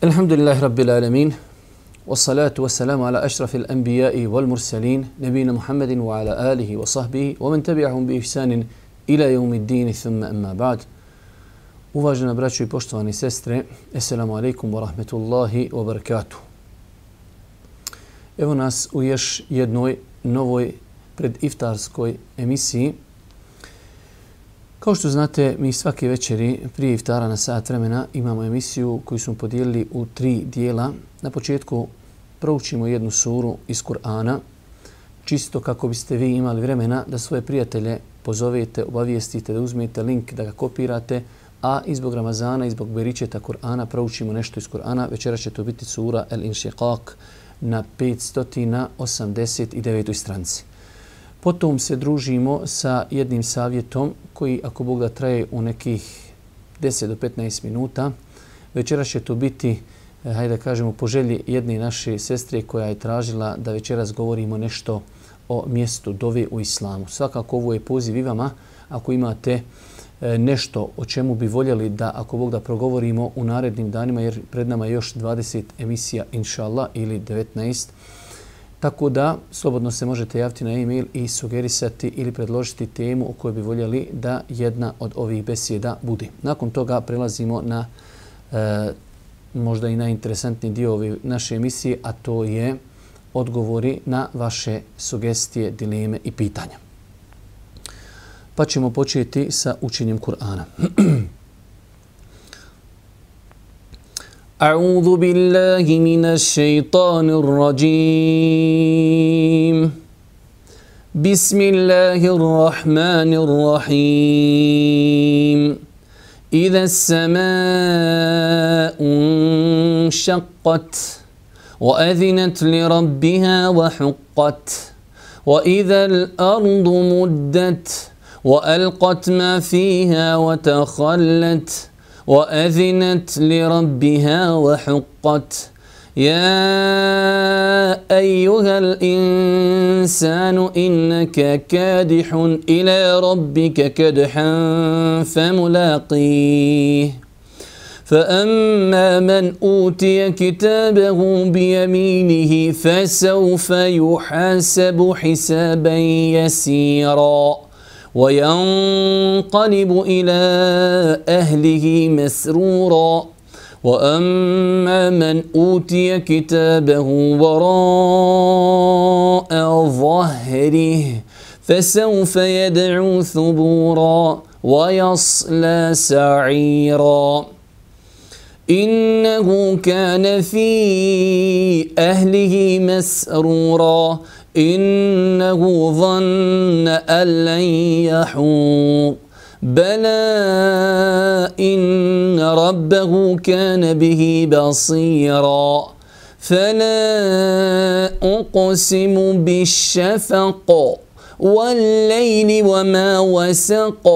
Alhamdulillahi Rabbil Alamin, wassalatu wassalamu ala ašrafil anbiya'i wal mursalin, nebina Muhammedin wa ala alihi wa sahbihi, wa man tabi'ahum bi ihsanin ila yawmiddin, thumma amma ba'd. Uvažena braćo i poštovani sestre, assalamu alaikum wa rahmetullahi wa barakatuh. Evo nas u još jednoj novoj prediftarskoj emisiji. Kao što znate, mi svake večeri prije iftara na sat vremena imamo emisiju koju smo podijelili u 3 dijela. Na početku proučimo jednu suru iz Kur'ana, čisto kako biste vi imali vremena da svoje prijatelje pozovete, obavijestite, da uzmete link, da ga kopirate, a i zbog Ramazana i zbog beričeta Kur'ana proučimo nešto iz Kur'ana. Večera će to biti sura Al-Inshiqaq na 589. stranici. Potom se družimo sa jednim savjetom koji, ako Bog da, traje u nekih 10 do 15 minuta. Večera će to biti, hajde da kažemo, po želji jedne naše sestre koja je tražila da večeras govorimo nešto o mjestu dove u islamu. Svakako ovo je poziv i vama, ako imate nešto o čemu bi voljeli da, ako Bog da, progovorimo u narednim danima, jer pred nama je još 20 emisija, inšallah, ili 19. Tako da slobodno se možete javiti na e-mail i sugerisati ili predložiti temu o kojoj bi voljeli da jedna od ovih besjeda bude. Nakon toga prelazimo na možda i najinteresantniji dio ove naše emisije, a to je odgovori na vaše sugestije, dileme i pitanja. Pa ćemo početi sa učenjem Kur'ana. أعوذ بالله من الشيطان الرجيم بسم الله الرحمن الرحيم إذا السماء انشقت وأذنت لربها وحقت وإذا الأرض مدت وألقت ما فيها وتخلت وأذنت لربها وحقت يا أيها الإنسان إنك كادح إلى ربك كدحا فملاقيه فأما من أوتي كتابه بيمينه فسوف يحاسب حسابا يسيرا وينقلب إلى أهله مسرورا وأما من أوتي كتابه وراء ظهره فسوف يدعو ثبورا ويصلى سعيرا إنه كان في أهله مسرورا إنه ظن أن لن يحور بلى إن ربه كان به بصيرا فلا أقسم بالشفق والليل وما وسق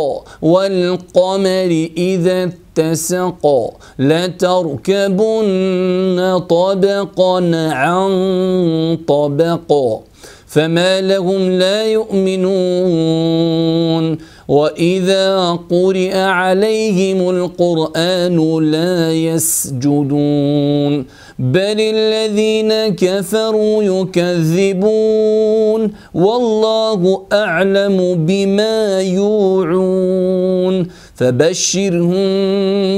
والقمر إذا اتسق لتركبن طبقا عن طبق فما لهم لا يؤمنون وإذا قرئ عليهم القرآن لا يسجدون بل الذين كفروا يكذبون والله أعلم بما يوعون فبشرهم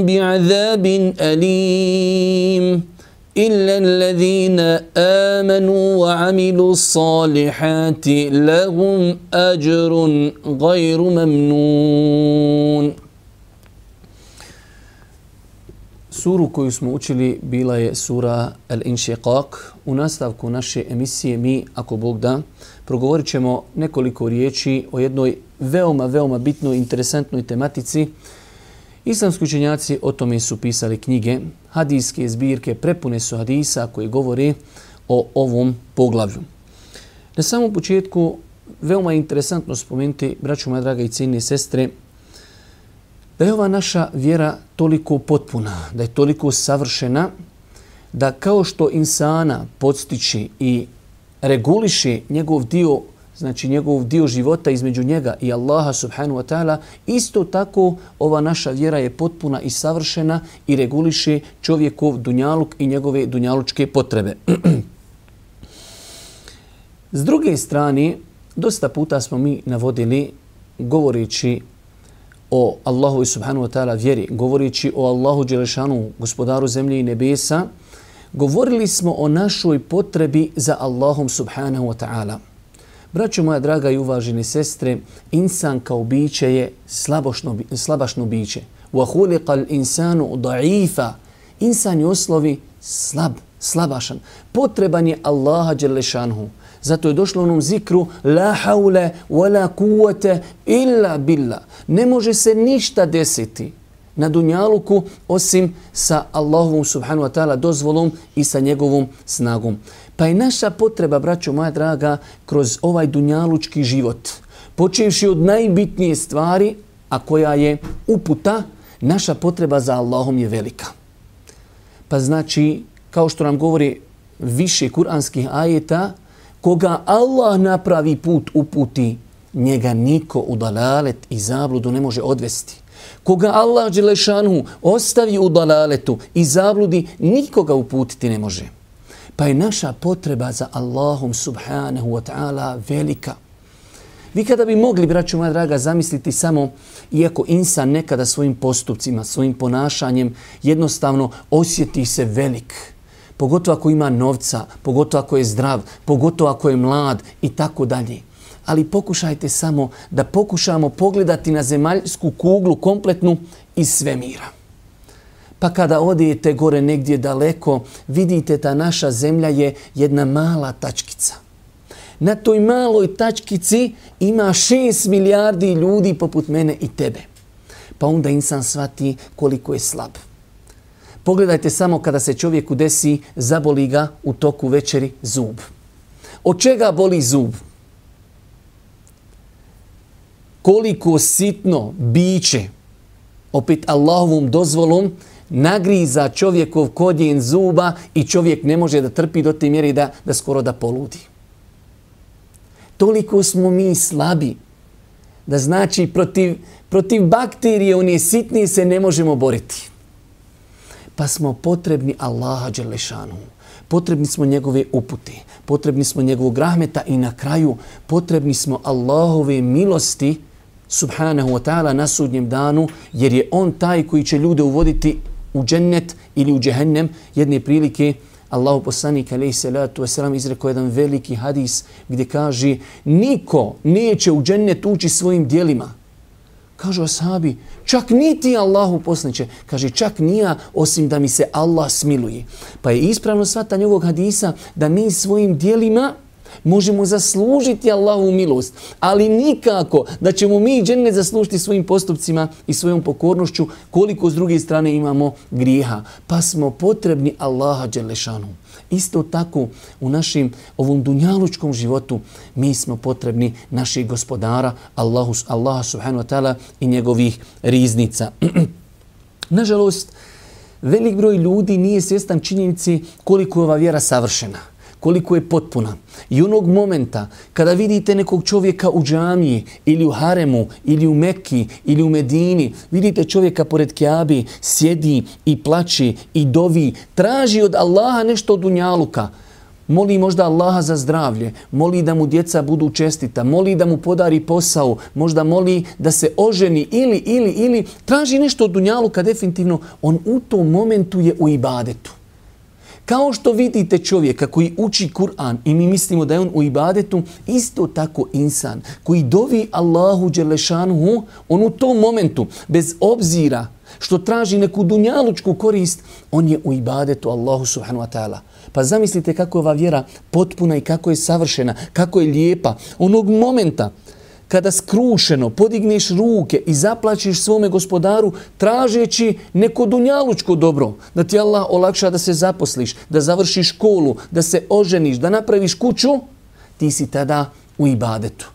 بعذاب أليم إلا الذين آمنوا وعملوا الصالحات لهم أجر غير ممنون. Suru koju smo učili bila je sura Al-Inshiqaq. U nastavku naše emisije mi, ako Bog da, progovorit ćemo nekoliko riječi o jednoj veoma bitnoj, interesantnoj tematici. Islamski učenjaci o tome su pisali knjige, hadijske zbirke, prepune su hadisa koji govore o ovom poglavlju. Na samom početku veoma je interesantno spomenuti, braćo moja draga i cijenine sestre, Da je ova naša vjera toliko potpuna, da je toliko savršena, da kao što insana podstiče i reguliše njegov dio, znači njegov dio života između njega i Allaha subhanahu wa ta'ala, isto tako ova naša vjera je potpuna i savršena i reguliše čovjekov dunjaluk i njegove dunjalučke potrebe. S druge strane, dosta puta smo mi navodili, govoreći o Allahu subhanahu wa ta'ala vjeri, govoreći o Allahu dželešanu, gospodaru zemlje i nebesa, govorili smo o našoj potrebi za Allahom subhanahu wa ta'ala. Braćo moja draga i uvaženi sestre, insan kao biće je slabašno biće. وَهُلِقَ الْإِنسَانُ ضَعِيفًا. Insan je u osnovi slabašan. Potreban je Allaha dželešanhu. Zato je došlo u onom zikru la haule wa la kuvvete illa billah. Ne može se ništa desiti na dunjaluku osim sa Allahovom subhanahu wa ta'ala dozvolom i sa njegovom snagom. Pa je naša potreba, braćo moja draga, kroz ovaj dunjalučki život, počevši od najbitnije stvari, a koja je uputa, naša potreba za Allahom je velika. Pa znači, kao što nam govori više kuranskih ajeta, koga Allah napravi put uputi, njega niko u dalalet i zabludu ne može odvesti. Koga Allah dželešanu ostavi u dalaletu i zabludi, nikoga uputiti ne može. Pa je naša potreba za Allahom subhanahu wa ta'ala velika. Vi kada bi mogli, braćo moja draga, zamisliti samo, iako insan nekada svojim postupcima, svojim ponašanjem jednostavno osjeti se velik, pogotovo ako ima novca, pogotovo ako je zdrav, pogotovo ako je mlad i tako dalje. Ali pokušajte samo da pokušamo pogledati na zemaljsku kuglu kompletnu iz svemira. Pa kada odijete gore negdje daleko, vidite da naša zemlja je jedna mala tačkica. Na toj maloj tačkici ima 6 milijardi ljudi poput mene i tebe. Pa onda insan shvati koliko je slab. Pogledajte samo kada se čovjeku desi, zaboli ga u toku večeri zub. Od čega boli zub? Koliko sitno biće, opet Allahovom dozvolom, nagriza čovjekov korijen zuba i čovjek ne može da trpi do te mjere da skoro da poludi. Toliko smo mi slabi da znači protiv bakterije one sitnije se ne možemo boriti. Pa smo potrebni Allaha dželešanu. Potrebni smo njegove upute, potrebni smo njegovog rahmeta i na kraju potrebni smo Allahove milosti subhanahu wa ta'ala na sudnjem danu, jer je on taj koji će ljude uvoditi u džennet ili u džehennem. Jedne prilike Allahu poslanik alejhi salatu vesselam izrekao jedan veliki hadis gdje kaže niko neće u džennet ući svojim djelima. Kažu ashabi, čak niti Allahu poslaniče. Kaže, čak nija osim da mi se Allah smiluje. Pa je ispravno shvatanje ovog hadisa da mi svojim djelima možemo zaslužiti Allahovu milost, ali nikako da ćemo mi džennet zaslužiti svojim postupcima i svojom pokornošću koliko s druge strane imamo grijeha. Pa smo potrebni Allaha dželešanu. Isto tako u našim ovom dunjalučkom životu mi smo potrebni naših gospodara, Allaha subhanahu wa ta'ala i njegovih riznica. Nažalost, velik broj ljudi nije svjestan činjenici koliko je ova vjera savršena, koliko je potpuna. I onog momenta kada vidite nekog čovjeka u džamiji ili u haremu ili u Mekki ili u Medini, vidite čovjeka pored Kjabe, sjedi i plači i dovi, traži od Allaha nešto od dunjaluka. Moli možda Allaha za zdravlje, moli da mu djeca budu čestita, moli da mu podari posao, možda moli da se oženi ili traži nešto od dunjaluka, definitivno on u tom momentu je u ibadetu. Kao što vidite čovjeka koji uči Kur'an i mi mislimo da je on u ibadetu, isto tako insan koji dovi Allahu dželešanuhu, on u tom momentu, bez obzira što traži neku dunjalučku korist, on je u ibadetu Allahu subhanahu wa ta'ala. Pa zamislite kako je ova vjera potpuna i kako je savršena, kako je lijepa. Onog momenta kada skrušeno podigneš ruke i zaplačiš svome gospodaru tražeći neko dunjalučko dobro, da ti Allah olakša da se zaposliš, da završiš školu, da se oženiš, da napraviš kuću, ti si tada u ibadetu.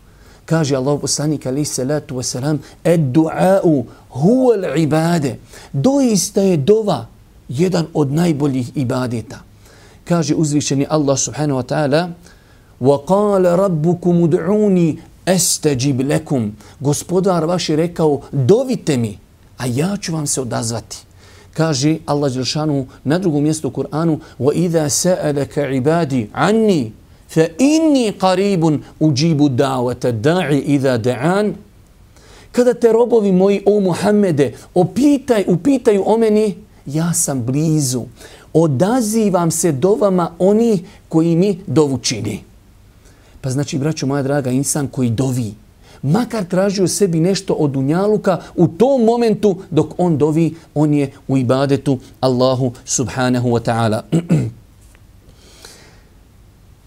Kaže Allahu poslanik alejhi salatu vesselam: "Ed-du'a'u huwa al-ibade." Doista je dova jedan od najboljih ibadeta. Kaže uzvišeni Allah subhanahu wa ta'ala: "Wa qala rabbukum ud'uni astajib lakum." Gospodar vaš je rekao: "Dovite mi, a ja ću vam se odazvati." Kaže Allah dželle na drugom mjestu u Kur'anu: "Wa idha sa'alaka 'ibadi 'anni fa inni qaribun ujibu da'wata da'i idha da'an." Kada te robovi moji, o Muhammede, upitaju o meni, ja sam blizu. Odazivam se dovama oni koji mi dovu čini. Pa znači, braćo moja draga, insan koji dovi, makar tražio sebi nešto od dunjaluka, u tom momentu dok on dovi, on je u ibadetu Allahu subhanahu wa ta'ala.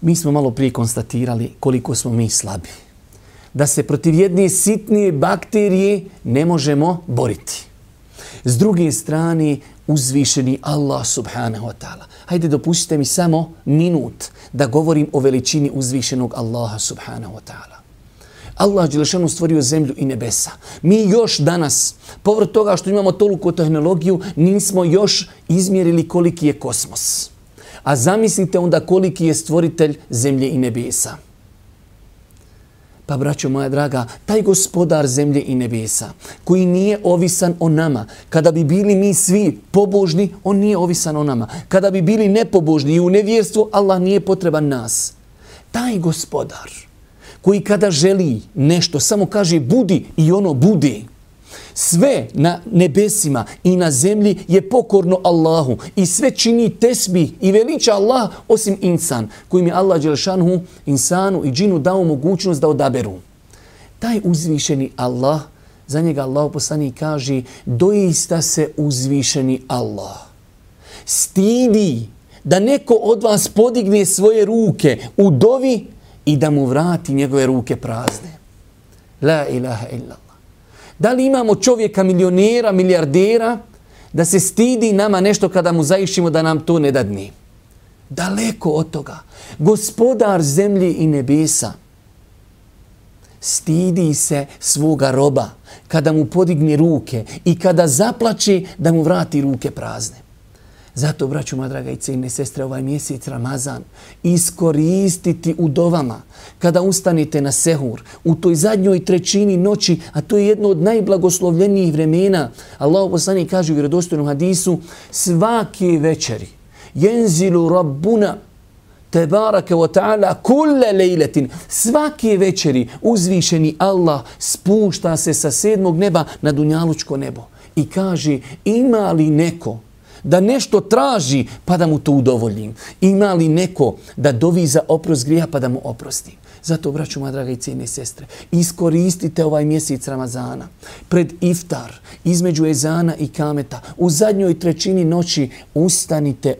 Mi smo malo prije konstatirali koliko smo mi slabi. Da se protiv jedne sitnije bakterije ne možemo boriti. S druge strane, uzvišeni Allah subhanahu wa ta'ala. Hajde, dopustite mi samo minut da govorim o veličini uzvišenog Allaha subhanahu wa ta'ala. Allah dželešanu stvorio zemlju i nebesa. Mi još danas, povrh toga što imamo toliku tehnologiju, nismo još izmjerili koliki je kosmos. A zamislite onda koliki je stvoritelj zemlje i nebesa. Pa, braćo moja draga, taj gospodar zemlje i nebesa, koji nije ovisan o nama, kada bi bili mi svi pobožni, on nije ovisan o nama. Kada bi bili nepobožni i u nevjerstvu, Allah nije potreban nas. Taj gospodar, koji kada želi nešto, samo kaže budi i ono bude. Sve na nebesima i na zemlji je pokorno Allahu i sve čini tesbih i veliča Allah osim insan, kojim je Allah dželešanhu insanu i džinu dao mogućnost da odaberu. Taj uzvišeni Allah, za njega Allah poslanik kaže: doista se uzvišeni Allah stidi da neko od vas podigne svoje ruke u dovi i da mu vrati njegove ruke prazne. La ilaha illallah. Da li imamo čovjeka milionera, milijardera, da se stidi nama nešto kada mu zaišimo da nam to ne dadne? Daleko od toga. Gospodar zemlje i nebesa stidi se svoga roba kada mu podigne ruke i kada zaplače da mu vrati ruke prazne. Zato, braćo moja draga i cijenjene sestre, ovaj mjesec Ramazan iskoristiti u dovama. Kada ustanete na sehur, u toj zadnjoj trećini noći, a to je jedno od najblagoslovljenijih vremena, Allah poslanik kaže u vjerodostojnom hadisu: svake večeri jenzilu rabbuna tebaraka wa ta'ala kulle lejletin. Svake večeri uzvišeni Allah spušta se sa 7. neba na dunjalučko nebo i kaže: ima li neko da nešto traži pa da mu to udovoljim? Ima li neko da dovi za oprost grijeha pa da mu oprostim? Zato, braćo moja draga i cijenjene sestre, iskoristite ovaj mjesec Ramazana pred iftar, između ezana i kameta, u zadnjoj trećini noći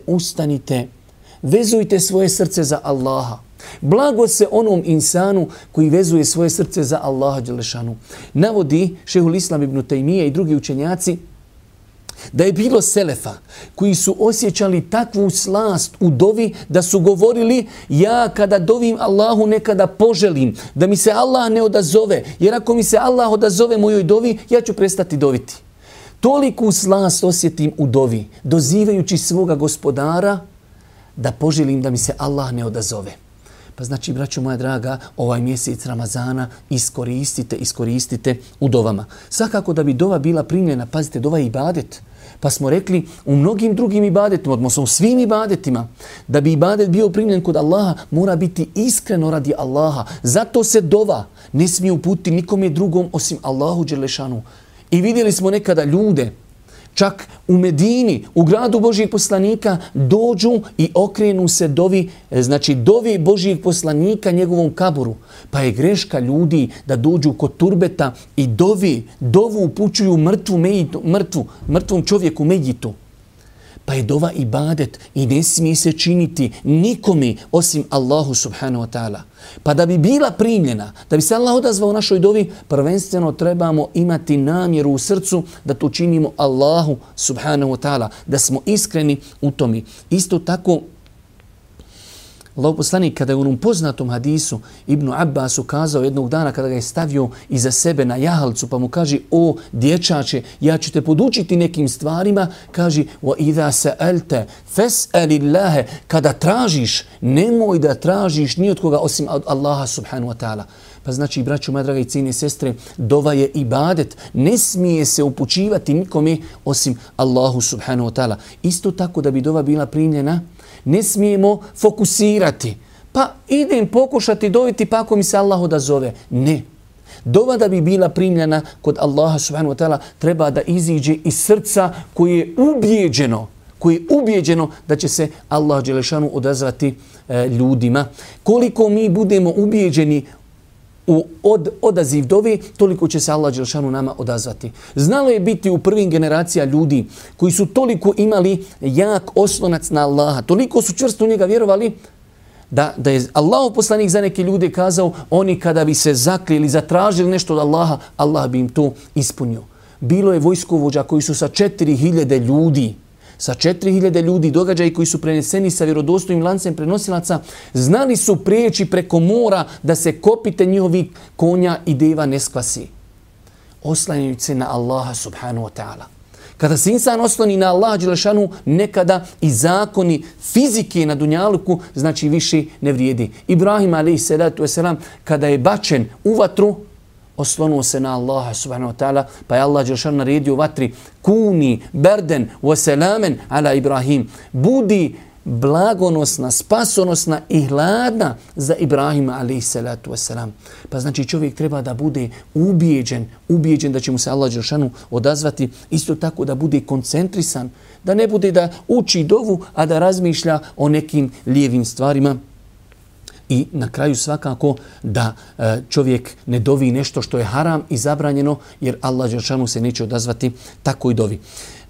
ustanite, vezujte svoje srce za Allaha. Blago se onom insanu koji vezuje svoje srce za Allaha dželešanu. Navodi šejhul Islam ibn Tejmije i drugi učenjaci da je bilo selefa koji su osjećali takvu slast u dovi da su govorili: ja kada dovim Allahu nekada poželim da mi se Allah ne odazove, jer ako mi se Allah odazove mojoj dovi, ja ću prestati doviti. Toliku slast osjetim u dovi, dozivajući svoga gospodara da poželim da mi se Allah ne odazove. Pa znači, braćo moja draga, ovaj mjesec Ramazana iskoristite u dovama. Svakako da bi dova bila primljena, pazite, dova je ibadet. Pa smo rekli u mnogim drugim ibadetima, odnosno u svim ibadetima, da bi ibadet bio primljen kod Allaha, mora biti iskreno radi Allaha. Zato se dova ne smije uputiti nikome drugom osim Allahu dželešanu. I vidjeli smo nekada ljude, čak u Medini, u gradu Božijeg poslanika, dođu i okrenu se dovi, znači dovi Božijeg poslanika njegovom kaburu. Pa je greška ljudi da dođu kod turbeta i dovu upućuju mrtvom čovjeku mejitu. Pa je dova ibadet i ne smije se činiti nikome osim Allahu subhanahu wa ta'ala. Pa da bi bila primljena, da bi se Allah odazvao u našoj dovi, prvenstveno trebamo imati namjeru u srcu da to činimo Allahu subhanahu wa ta'ala, da smo iskreni u tome. Isto tako, Allahov poslanik kada je u onom poznatom hadisu Ibnu Abbasu kazao jednog dana kada ga je stavio iza sebe na jahalcu pa mu kaže: o dječače, ja ću te podučiti nekim stvarima, kaže: wa idha sa'alta fas'alillaha, kada tražiš nemoj da tražiš ni od koga osim od Allaha subhanahu wa ta'ala. Pa znači, braćo moja draga i cijene sestre, dova je ibadet. Ne smije se upućivati nikome osim Allahu subhanahu wa ta'ala. Isto tako da bi dova bila primljena, ne smijemo fokusirati. Pa idem pokušati doviti pa ako mi se Allah odazove. Ne. Dova da bi bila primljena kod Allaha subhanahu wa ta'ala treba da iziđe iz srca koje je ubijeđeno da će se Allah dželešanu odazvati ljudima. Koliko mi budemo ubijeđeni u odaziv dove, toliko će se Allah dželešanu nama odazvati. Znalo je biti u prvim generacija ljudi koji su toliko imali jak oslonac na Allaha, toliko su čvrsto u njega vjerovali, da je Allahov poslanik za neke ljude kazao, oni kada bi se zaklijeli, zatražili nešto od Allaha, Allah bi im to ispunio. Bilo je vojskovođa koji su sa 4000 ljudi, događaji koji su preneseni sa vjerodostojnim lancem prenosilaca, znali su prijeći preko mora da se kopite njihovi konja i deva ne skvasi. Oslanjajući se na Allaha subhanahu wa ta'ala. Kada se insan osloni na Allaha dželešanu, nekada i zakoni fizike na dunjaluku znači više ne vrijedi. Ibrahim a.s. kada je bačen u vatru, oslonuo se na Allaha subhanahu wa ta'ala, pa je Allah dželešanu naredio vatri: kuni berden wa selamen ala Ibrahim. Budi blagonosna, spasonosna i hladna za Ibrahima a.s. Pa znači čovjek treba da bude ubijeđen da će mu se Allah dželešanu odazvati, isto tako da bude koncentrisan, da ne bude da uči dovu, a da razmišlja o nekim lijevim stvarima. I na kraju svakako da čovjek ne dovi nešto što je haram i zabranjeno, jer Allah dželešanu se neće odazvati takoj dovi.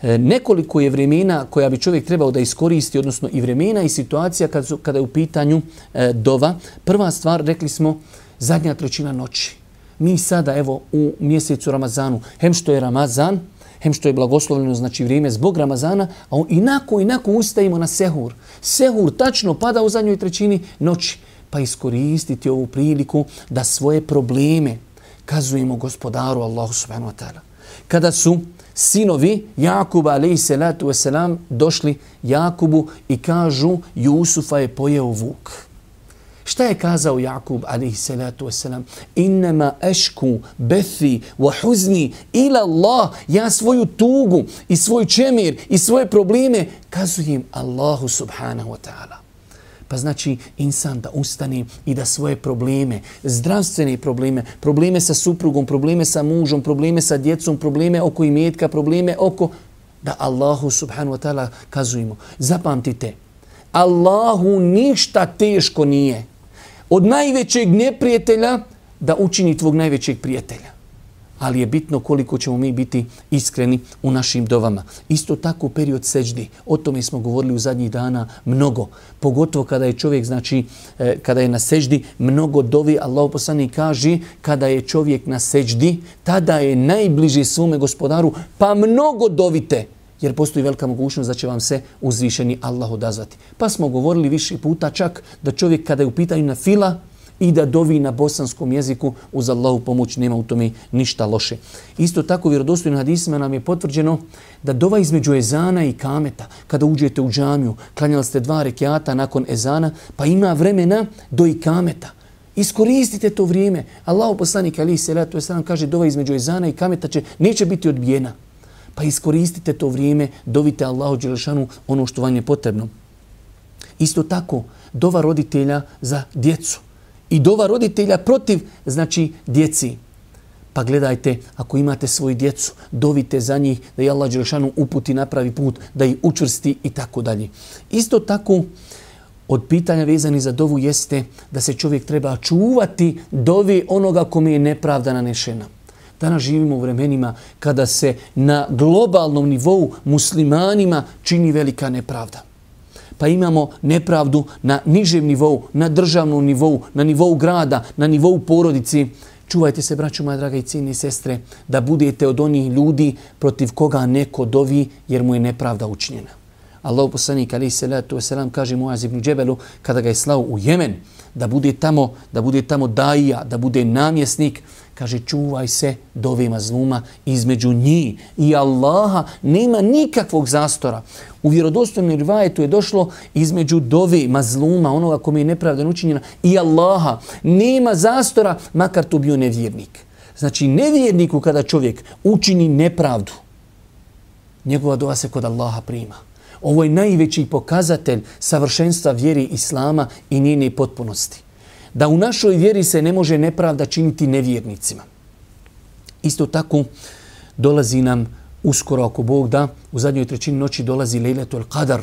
Nekoliko je vremena koja bi čovjek trebao da iskoristi, odnosno i vremena i situacija kada je u pitanju dova. Prva stvar, rekli smo, zadnja trećina noći. Mi sada, evo, u mjesecu Ramazanu, hem što je Ramazan, hem što je blagoslovljeno, znači vrijeme zbog Ramazana, a inako ustajimo na sehur. Sehur tačno pada u zadnjoj trećini noći. Pa iskoristiti ovu priliku da svoje probleme kazujemo gospodaru Allahu subhanahu wa ta'ala. Kada su sinovi Jakuba a.s. došli Jakubu i kažu: Jusufa je pojeo vuk. Šta je kazao Jakub a.s. Innama ešku bethi wa huzni ila Allah. Ja svoju tugu i svoj čemir i svoje probleme kazujem Allahu subhanahu wa ta'ala. Pa znači insan da ustane i da svoje probleme, zdravstvene probleme sa suprugom, probleme sa mužom, probleme sa djecom, probleme oko imetka, probleme oko, da Allahu subhanahu wa ta'ala kazujemo. Zapamtite, Allahu ništa teško nije od najvećeg neprijatelja da učini tvog najvećeg prijatelja. Ali je bitno koliko ćemo mi biti iskreni u našim dovama. Isto tako period seđdi. O tome smo govorili u zadnjih dana mnogo. Pogotovo kada je čovjek, znači, kada je na seđdi, mnogo dovi. Allahov poslanik kaže, kada je čovjek na seđdi, tada je najbliže svome gospodaru, pa mnogo dovite. Jer postoji velika mogućnost da će vam se uzvišeni Allah odazvati. Pa smo govorili više puta čak da čovjek kada je u pitanju na fila, i da dovi na bosanskom jeziku, uz Allahu pomoć nema u tome ništa loše. Isto tako vjerodostojnim hadisima nam je potvrđeno da dova između ezana i kameta, kada uđete u džamiju, klanjali ste 2 rekiata nakon ezana, pa ima vremena do i kameta. Iskoristite to vrijeme. Allahu poslanik a.s. kaže: dova između ezana i kameta neće biti odbijena. Pa iskoristite to vrijeme, dovite Allahu dželešanu ono što vam je potrebno. Isto tako, dova roditelja za djecu. I dova roditelja protiv, znači, djeci. Pa gledajte, ako imate svoju djecu, dovite za njih da je Allah dželešanu uputi na pravi put, da ih učvrsti i tako dalje. Isto tako, od pitanja vezani za dovu jeste da se čovjek treba čuvati dovi onoga kome je nepravda nanešena. Danas živimo u vremenima kada se na globalnom nivou muslimanima čini velika nepravda. Pa imamo nepravdu na nižem nivou, na državnom nivou, na nivou grada, na nivou porodici. Čuvajte se, braćo moja draga i cijene sestre, da budete od onih ljudi protiv koga neko dovi jer mu je nepravda učinjena. Allahu poslanik alejhi salatu vesselam kaže Muaz ibn Džebelu kada ga je slao u Jemen da bude tamo daija, da bude namjesnik, kaže čuvaj se dove mazluma, između njih i Allaha nema nikakvog zastora. U vjerodostojnom rivajetu je došlo između dove mazluma, onoga kome je nepravda učinjena, i Allaha nema zastora, makar to bio nevjernik. Znači nevjerniku kada čovjek učini nepravdu, njegova dova se kod Allaha prima. Ovo je najveći pokazatelj savršenstva vjeri Islama i njene potpunosti. Da u našoj vjeri se ne može nepravda činiti nevjernicima. Isto tako dolazi nam uskoro, ako Bog da, u zadnjoj trećini noći dolazi Lejletul Qadar.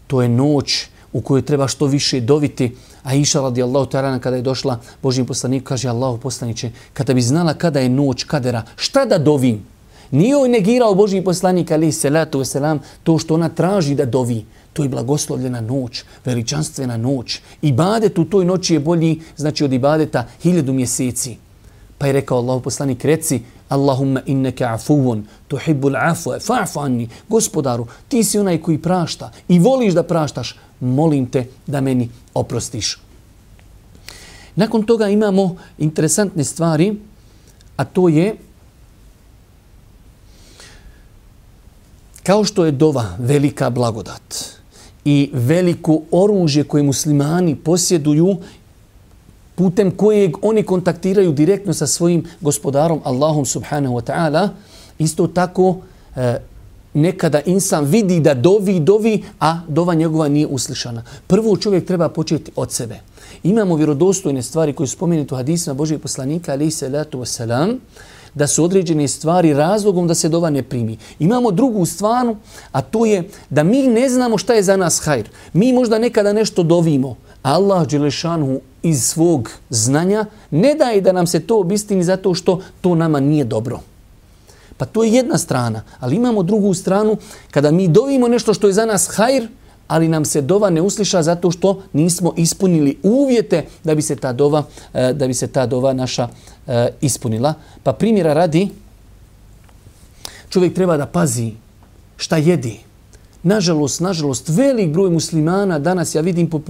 To je noć u kojoj treba što više doviti. Aisha radijallahu ta'ala kada je došla Božjem poslaniku, kaže Allahu poslaniče, kada bi znala kada je noć Kadera, šta da dovim? Nije joj negirao Božji poslanik alejhi salatu vesselam to što ona traži da dovi. To je blagoslovljena noć, veličanstvena noć. Ibadet u toj noći je bolji, znači od ibadeta 1000 mjeseci. Pa je rekao Allahu poslanik, reci Allahumma innaka afuwun tuhibbul afwa fa'fu anni. Gospodaru, ti si onaj koji prašta i voliš da praštaš, molim te da meni oprostiš. Nakon toga imamo interesantne stvari, a to je kao što je dova velika blagodat i veliko oružje koje muslimani posjeduju, putem kojeg oni kontaktiraju direktno sa svojim gospodarom Allahom subhanahu wa ta'ala, isto tako nekada insan vidi da dovi, a dova njegova nije uslišana. Prvo čovjek treba početi od sebe. Imamo vjerodostojne stvari koje su spomenute u hadisima Božijeg poslanika alejhi salatu vesselam, da su određene stvari razlogom da se dova ne primi. Imamo drugu stvar, a to je da mi ne znamo šta je za nas hajr. Mi možda nekada nešto dovimo, a Allah dželešanu iz svog znanja ne daje da nam se to obistini zato što to nama nije dobro. Pa to je jedna strana, ali imamo drugu stranu kada mi dovimo nešto što je za nas hajr, ali nam se dova ne usliša zato što nismo ispunili uvjete da bi se ta dova naša ispunila. Pa primjera radi, čovjek treba da pazi šta jedi. Nažalost, velik broj muslimana danas, ja vidim po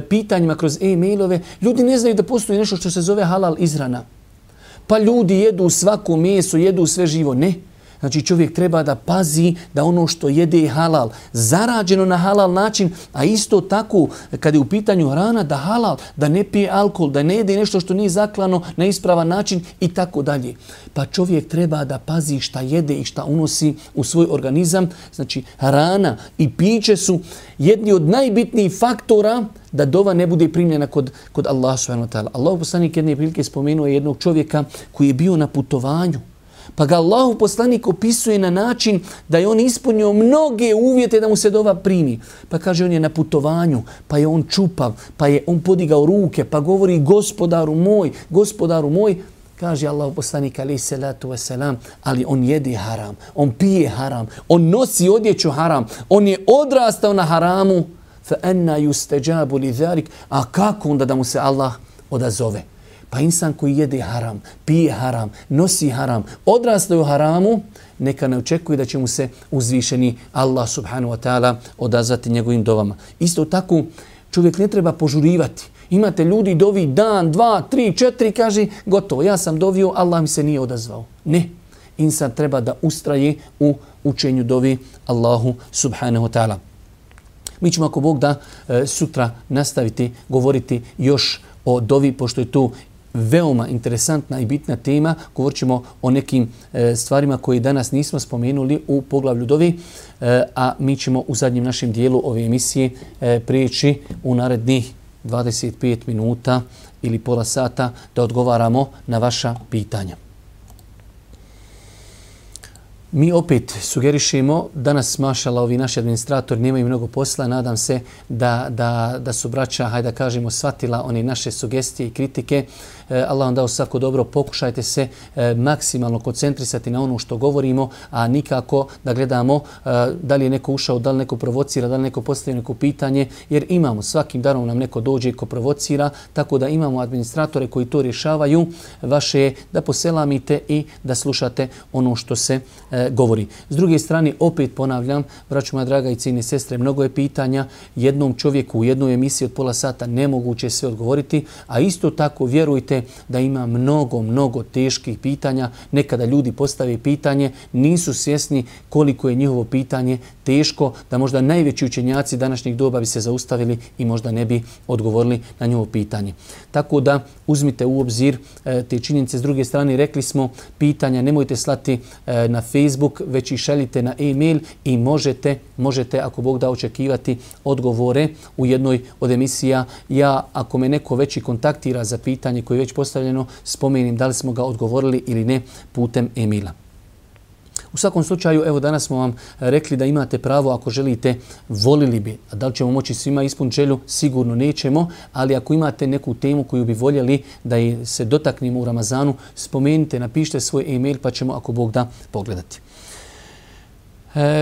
pitanjima kroz e-mailove, ljudi ne znaju da postoji nešto što se zove halal izhrana. Pa ljudi jedu svako meso, jedu sve živo. Ne. Znači čovjek treba da pazi da ono što jede je halal, zarađeno na halal način, a isto tako kada je u pitanju hrana da halal, da ne pije alkohol, da ne jede nešto što nije zaklano na ispravan način i tako dalje. Pa čovjek treba da pazi šta jede i šta unosi u svoj organizam. Znači hrana i piće su jedni od najbitnijih faktora da dova ne bude primljena kod Allaha subhanahu wa ta'ala. Allahu poslanik jedne prilike spomenuo jednog čovjeka koji je bio na putovanju. Pa ga Allahu poslanik opisuje na način da je on ispunio mnoge uvjete da mu se dova primi. Pa kaže on je na putovanju, pa je on čupav, pa je on podigao ruke, pa govori gospodaru moj. Kaže Allahu poslanik alejhi salatu vesselam, ali on jede haram, on pije haram, on nosi odjeću haram, on je odrastao na haramu. Fa anna yustajabu li zalik, a kako onda da mu se Allah odazove? Pa insan koji jede haram, pije haram, nosi haram, odrastao u haramu, neka ne očekuje da će mu se uzvišeni Allah subhanahu wa ta'ala odazvati njegovim dovama. Isto tako čovjek ne treba požurivati. Imate ljudi dovi dan, 2, 3, 4, kaže gotovo, ja sam dovio, Allah mi se nije odazvao. Ne, insan treba da ustraje u učenju dovi Allahu subhanahu wa ta'ala. Mi ćemo ako Bog da sutra nastaviti govoriti još o dovi, pošto je tu veoma interesantna i bitna tema. Govorit ćemo o nekim stvarima koje danas nismo spomenuli u poglavlju dovi, a mi ćemo u zadnjem našem dijelu ove emisije prijeći u narednih 25 minuta ili pola sata da odgovaramo na vaša pitanja. Mi opet sugerišemo, danas mašala ovi naši administratori nemaju mnogo posla, nadam se da su braća, hajde da kažemo, shvatila one naše sugestije i kritike. Allah vam dao svako dobro, pokušajte se maksimalno koncentrisati na ono što govorimo, a nikako da gledamo da li je neko ušao, da li neko provocira, da li neko postavio neko pitanje, jer imamo, svakim danom nam neko dođe ko provocira, tako da imamo administratore koji to rješavaju. Vaše je da poselamite i da slušate ono što se govori. S druge strane, opet ponavljam, braćo moja draga i cijene sestre, mnogo je pitanja. Jednom čovjeku u jednoj emisiji od pola sata nemoguće sve odgovoriti, a isto tako vjerujte da ima mnogo teških pitanja. Nekada ljudi postave pitanje, nisu svjesni koliko je njihovo pitanje teško, da možda najveći učenjaci današnjeg doba bi se zaustavili i možda ne bi odgovorili na njihovo pitanje. Tako da uzmite u obzir te činjenice. S druge strane, rekli smo, pitanja nemojte slati na Facebook, već ih šaljite na e-mail i možete ako Bog da, očekivati odgovore u jednoj od emisija. Ja, ako me neko već i kontaktira za pitanje koje je već postavljeno, spomenim da li smo ga odgovorili ili ne putem e-maila. U svakom slučaju, evo danas smo vam rekli da imate pravo, ako želite, volili bi. A da li ćemo moći svima ispuniti želju? Sigurno nećemo, ali ako imate neku temu koju bi voljeli da se dotaknemo u Ramazanu, spomenite, napišite svoj e-mail pa ćemo, ako Bog da, pogledati.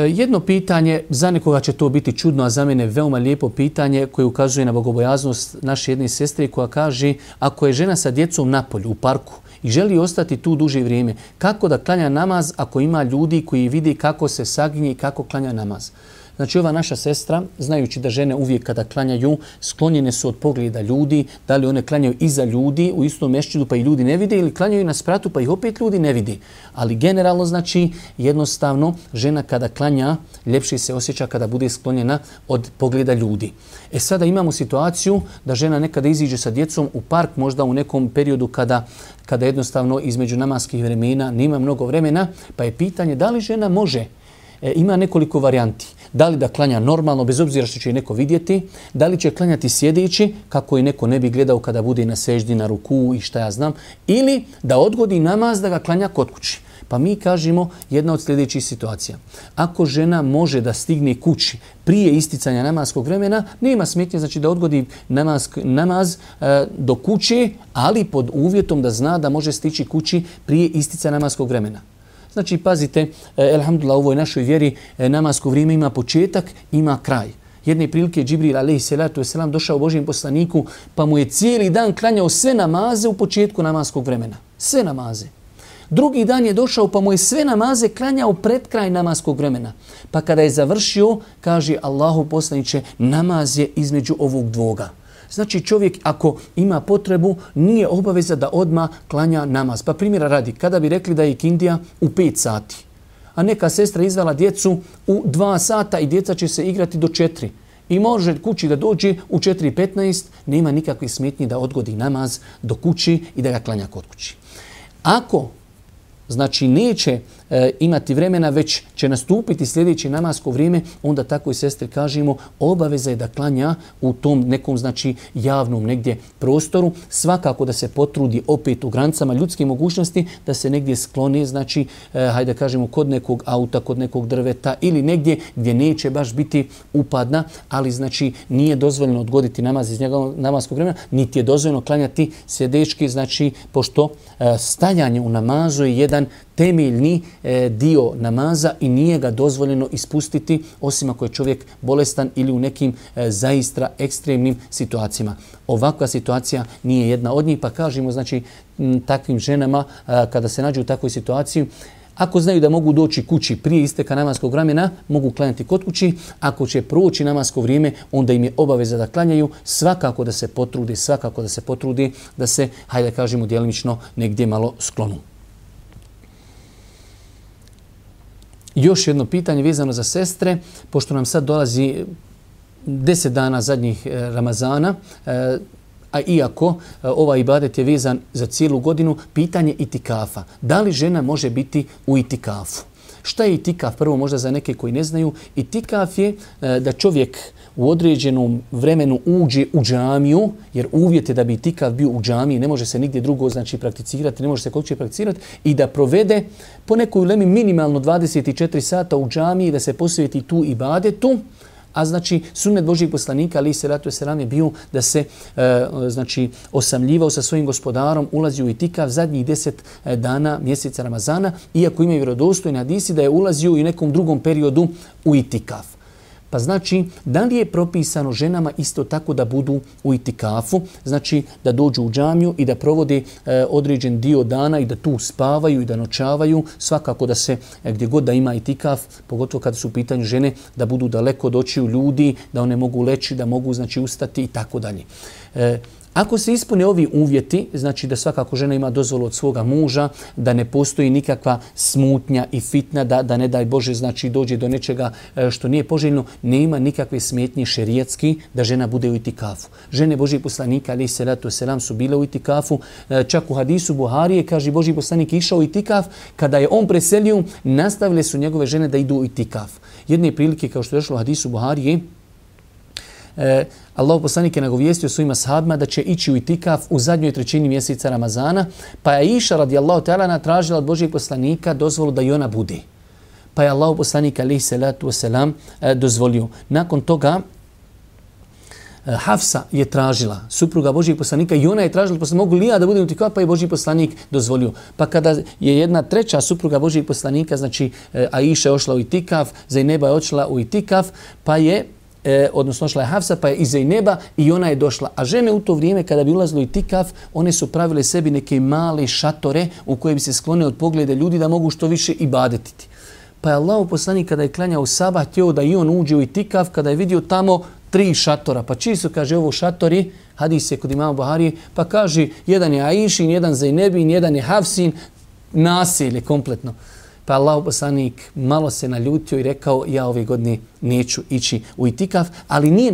Jedno pitanje, za nekoga će to biti čudno, a za mene veoma lijepo pitanje koje ukazuje na bogobojaznost naše jedne sestre koja kaže, ako je žena sa djecom na polju, u parku, i želi ostati tu duže vrijeme, kako da klanja namaz ako ima ljudi koji vidi kako se saginje i kako klanja namaz? Znači, ova naša sestra, znajući da žene uvijek kada klanjaju, sklonjene su od pogleda ljudi, da li one klanjaju iza ljudi u istom mešćidu pa i ljudi ne vide, ili klanjaju na spratu pa ih opet ljudi ne vidi. Ali generalno, znači, jednostavno, žena kada klanja, ljepše se osjeća kada bude sklonjena od pogleda ljudi. Sada imamo situaciju da žena nekada iziđe sa djecom u park, možda u nekom periodu kada jednostavno između namaskih vremena nema mnogo vremena, pa je pitanje da li žena može. Ima nekoliko varijanti. Da li da klanja normalno, bez obzira što će neko vidjeti, da li će klanjati sjedeći, kako je neko ne bi gledao kada bude na seždi, na ruku i šta ja znam, ili da odgodi namaz da ga klanja kod kući. Pa mi kažemo jedna od sljedećih situacija. Ako žena može da stigne kući prije isticanja namaskog vremena, nema smetnje, znači da odgodi namaz do kuće, ali pod uvjetom da zna da može stići kući prije isticanja namaskog vremena. Znači, pazite, elhamdulillah, u ovoj našoj vjeri namasko vrijeme ima početak, ima kraj. Jedne prilike Džibril a.s. došao Božjem poslaniku, pa mu je cijeli dan klanjao sve namaze u početku namaskog vremena. Sve namaze. Drugi dan je došao, pa mu je sve namaze klanjao pred kraj namaskog vremena. Pa kada je završio, kaže Allahu poslaniče, namaz je između ovog dvoga. Znači, čovjek ako ima potrebu, nije obaveza da odmah klanja namaz. Pa primjera radi, kada bi rekli da je ikindija u 5 sati, a neka sestra izvela djecu u 2 sata i djeca će se igrati do 4. I može kući da dođe u 4:15, nema nikakve smetnje da odgodi namaz do kući i da ga klanja kod kući. Ako znači neće imati vremena, već će nastupiti sljedeće namasko vrijeme, onda takvoj sestri kažemo obaveza je da klanja u tom nekom znači javnom negdje prostoru. Svakako da se potrudi opet u granicama ljudske mogućnosti da se negdje skloni, znači hajde kažemo kod nekog auta, kod nekog drveta ili negdje gdje neće baš biti upadna, ali znači nije dozvoljeno odgoditi namaz iz njegovog namaskog vremena, niti je dozvoljeno klanjati sjedečki, znači pošto stajanje u namazu je jedan temeljni dio namaza i nije ga dozvoljeno ispustiti osim ako je čovjek bolestan ili u nekim zaista ekstremnim situacijama. Ovakva situacija nije jedna od njih, pa kažemo znači takvim ženama kada se nađu u takvoj situaciji, ako znaju da mogu doći kući prije isteka namaskog vremena, mogu klanjati kod kući. Ako će proći namasko vrijeme, onda im je obaveza da klanjaju. Svakako da se potrudi, da se, hajde kažemo, djelimično negdje malo sklonu. Još jedno pitanje vezano za sestre, pošto nam sad dolazi 10 dana zadnjih Ramazana, a iako ovaj ibadet je vezan za cijelu godinu, pitanje itikafa. Da li žena može biti u itikafu? Šta je itikaf? Prvo možda za neke koji ne znaju. Itikaf je da čovjek u određenom vremenu uđe u džamiju, jer uvjet je da bi itikaf bio u džamiji, ne može se nigdje drugo znači prakticirati, ne može se kod kuće prakticirati, i da provede po nekoj ulemi minimalno 24 sata u džamiji, da se posveti tu ibadetu. A znači sunnet Božjeg poslanika alejhi selatu vesselam je bio da se znači osamljivao sa svojim gospodarom, ulazi u itikaf zadnjih 10 dana mjeseca Ramazana, iako imaju vjerodostojni hadisi da je ulazio i u nekom drugom periodu u itikaf. Pa znači, da li je propisano ženama isto tako da budu u itikafu, znači da dođu u džamiju i da provode određen dio dana i da tu spavaju i da noćavaju, svakako da se gdje god da ima itikaf, pogotovo kada su u pitanju žene, da budu daleko od očiju ljudi, da one mogu leći, da mogu znači ustati i tako dalje. Ako se ispune ovi uvjeti, znači da svakako žena ima dozvolu od svoga muža, da ne postoji nikakva smutnja i fitna, da ne daj Bože znači dođe do nečega što nije poželjno, nema nikakve smetnje šerijatski da žena bude u itikafu. Žene Božih poslanika, alejhi selatu selam, su bile u itikafu. Čak u hadisu Buharije kaže Božji poslanik išao u itikaf, kada je on preselio, nastavile su njegove žene da idu u itikaf. Jedne prilike, kao što je došlo u hadisu Buharije, Allahov poslanik je nagovijestio svojim ashabima da će ići u itikaf u zadnjoj trećini mjeseca Ramazana, pa je Aisha radijallahu ta'ala tražila od Božijeg poslanika dozvolu da i ona bude. Pa je Allahov poslanik alejhi salatu vesselam dozvolio. Nakon toga Hafsa je tražila, supruga Božijeg poslanika, i ona je tražila, pa mogu li ja da budem u itikafu, pa je Božji poslanik dozvolio. Pa kada je jedna treća supruga Božijeg poslanika, znači Aisha je ošla u itikaf, Zejneba je ošla u itikaf, pa je odnosno šla je Hafsa, pa je i Zejneba i ona je došla. A žene u to vrijeme kada bi ulazilo u itikaf, one su pravile sebi neke male šatore u koje bi se sklone od pogleda ljudi da mogu što više ibadetiti. Pa je Allahov poslanik kada je klanjao sabah htio da i on uđe u itikaf, kada je vidio tamo 3 šatora. Pa čiji su, kaže, ovo šatori, hadis je kod imama Buharije, pa kaže jedan je Aišin, jedan Zejnebin, jedan je Hafsin, nasilje kompletno. Pa Allahov poslanik malo se naljutio i rekao ja ove godine neću ići u itikaf, ali nije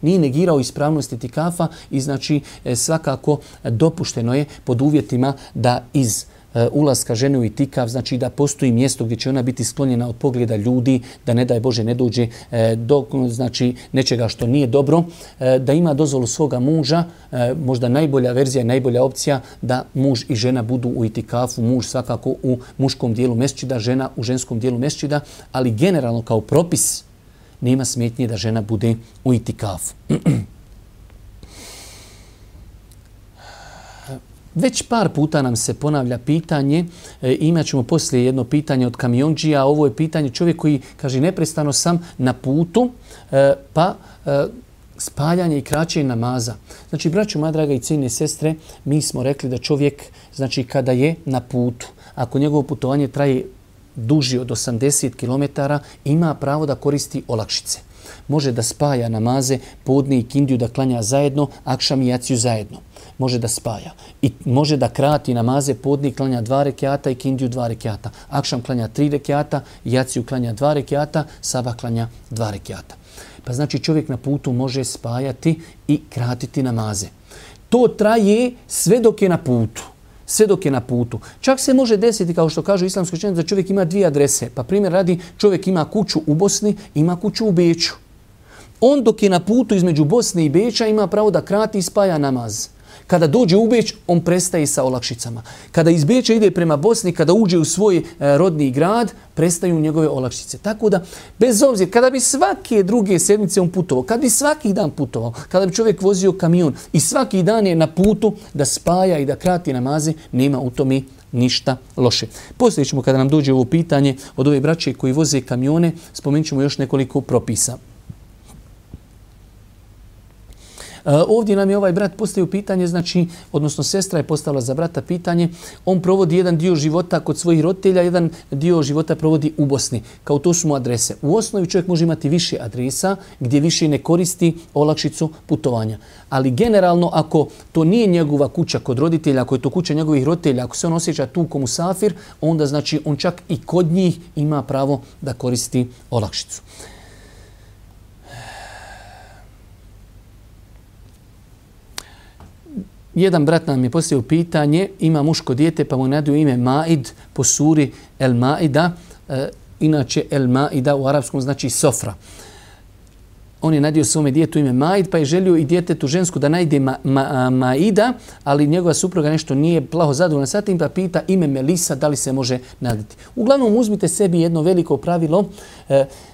negirao ispravnost itikafa i znači svakako dopušteno je pod uvjetima da iz ulaska žene u itikaf, znači da postoji mjesto gdje će ona biti sklonjena od pogleda ljudi, da ne daj Bože ne dođe do znači nečega što nije dobro, da ima dozvolu svoga muža, možda najbolja verzija, najbolja opcija da muž i žena budu u itikafu, muž svakako u muškom dijelu mesdžida, žena u ženskom dijelu mesdžida, ali generalno kao propis nema smetnje da žena bude u itikafu. Već par puta nam se ponavlja pitanje, imat ćemo poslije jedno pitanje od kamionđija, ovo je pitanje čovjek koji kaže neprestano sam na putu, pa spaljanje i kraćenje namaza. Znači, braćo, moja draga i cijenjene sestre, mi smo rekli da čovjek, znači kada je na putu, ako njegovo putovanje traje duži od 80 km, ima pravo da koristi olakšice. Može da spaja namaze, podne i kindiju da klanja zajedno, akšam i jaciju zajedno. Može da spaja. I može da krati namaze, podne klanja 2 rekiata i kindiju 2 rekiata. Akšam klanja 3 rekiata, jaciju klanja 2 rekiata, sabah klanja 2 rekiata. Pa znači čovjek na putu može spajati i kratiti namaze. To traje sve dok je na putu. Sve dok je na putu. Čak se može desiti, kao što kažu islamski učenjaci, da čovjek ima 2 adrese. Pa primjer radi, čovjek ima kuću u Bosni, ima kuću u Beču. On dok je na putu između Bosne i Beča ima pravo da krati i spaja namaz. Kada dođe u Beč, on prestaje sa olakšicama. Kada iz Beča ide prema Bosni, kada uđe u svoj rodni grad, prestaju njegove olakšice. Tako da, bez obzira, kada bi svake druge sedmice on putovao, kada bi svaki dan putovao, kada bi čovjek vozio kamion i svaki dan je na putu da spaja i da krati namaze, nema u tome ništa loše. Poslije ćemo, kada nam dođe ovo pitanje od ove braće koji voze kamione, spomenut ćemo još nekoliko propisa. Ovdje nam je ovaj brat postavio pitanje, znači, odnosno sestra je postavila za brata pitanje, on provodi jedan dio života kod svojih roditelja, jedan dio života provodi u Bosni. Kao to su mu adrese. U osnovi čovjek može imati više adresa gdje više ne koristi olakšicu putovanja. Ali generalno, ako to nije njegova kuća kod roditelja, ako je to kuća njegovih roditelja, ako se on osjeća tu ko musafir, onda znači on čak i kod njih ima pravo da koristi olakšicu. Jedan brat nam je postavio pitanje, ima muško dijete pa mu nadaju ime Maid po suri El Maida. Inače El Maida u arapskom znači sofra. On je nadio svome djetetu ime Maid pa je želio i djetetu žensku da najde Maida, ali njegova supruga nešto nije plaho zadovoljna sa tim pa pita ime Melisa da li se može nadati. Uglavnom uzmite sebi jedno veliko pravilo,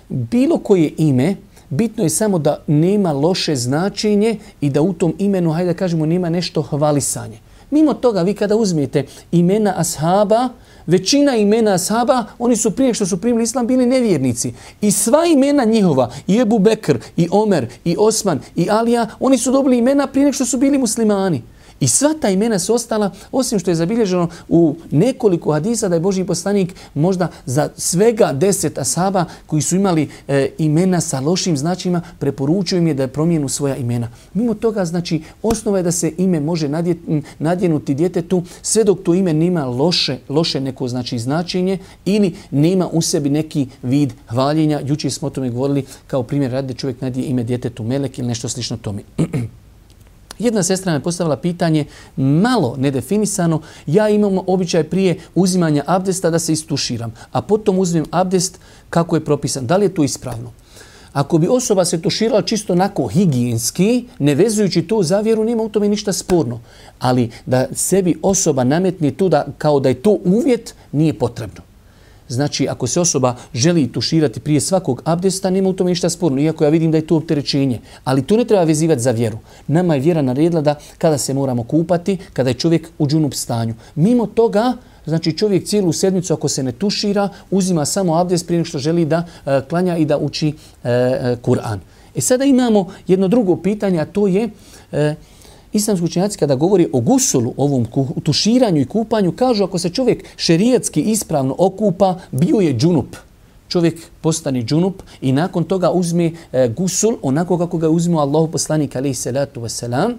bilo koje ime, bitno je samo da nema loše značenje i da u tom imenu, hajde da kažemo, nema nešto hvalisanje. Mimo toga, vi kada uzmete imena ashaba, većina imena ashaba, oni su prije što su primili islam bili nevjernici. I sva imena njihova, i Ebu Bekr, i Omer, i Osman, i Alija, oni su dobili imena prije što su bili muslimani. I sva ta imena su ostala, osim što je zabilježeno u nekoliko hadisa da je Božji poslanik možda za svega 10 ashaba koji su imali imena sa lošim značajima, preporučio im je da promijenu svoja imena. Mimo toga, znači, osnova je da se ime može nadjenuti djetetu sve dok to ime nema loše neko znači značenje ili nema u sebi neki vid hvaljenja. Jučer smo o tome govorili kao primjer radi da čovjek nadije ime djetetu Melek ili nešto slično tome. Jedna sestra me postavila pitanje malo nedefinisano. Ja imam običaj prije uzimanja abdesta da se istuširam, a potom uzmem abdest kako je propisan. Da li je to ispravno? Ako bi osoba se tuširala čisto onako higijenski, ne vezujući to za vjeru, nema u tome ništa sporno. Ali da sebi osoba nametni tu kao da je to uvjet, nije potrebno. Znači, ako se osoba želi tuširati prije svakog abdesta, nema u tome ništa sporno, iako ja vidim da je to opterećenje. Ali to ne treba vezivati za vjeru. Nama je vjera naredila da kada se moramo kupati, kada je čovjek u džunup stanju. Mimo toga, znači čovjek cijelu sedmicu ako se ne tušira, uzima samo abdest prije što želi da klanja i da uči Kur'an. Sada imamo jedno drugo pitanje, a to je... Islamski učenjaci kada govori o gusulu, ovom tuširanju i kupanju, kažu ako se čovjek šerijatski ispravno okupa, bio je džunup. Čovjek postane džunup i nakon toga uzme gusul onako kako ga uzme Allahu poslanik alejhi salatu vesselam.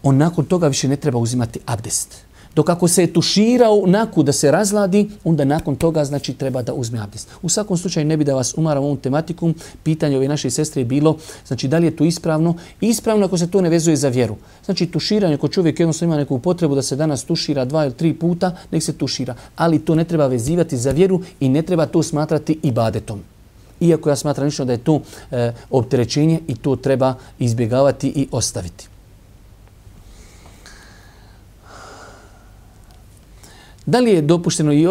On nakon toga više ne treba uzimati abdest. Dok ako se je tuširao naku da se razladi, onda nakon toga znači treba da uzme abdest. U svakom slučaju ne bi da vas umaram ovom tematikom. Pitanje ove naše sestre je bilo, znači da li je to ispravno? Ispravno ako se to ne vezuje za vjeru. Znači tuširanje, ako čovjek jednostavno ima neku potrebu da se danas tušira 2 ili 3 puta, nek se tušira. Ali to ne treba vezivati za vjeru i ne treba to smatrati ibadetom. Iako ja smatram lično da je to opterećenje i to treba izbjegavati i ostaviti. Da li je dopušteno i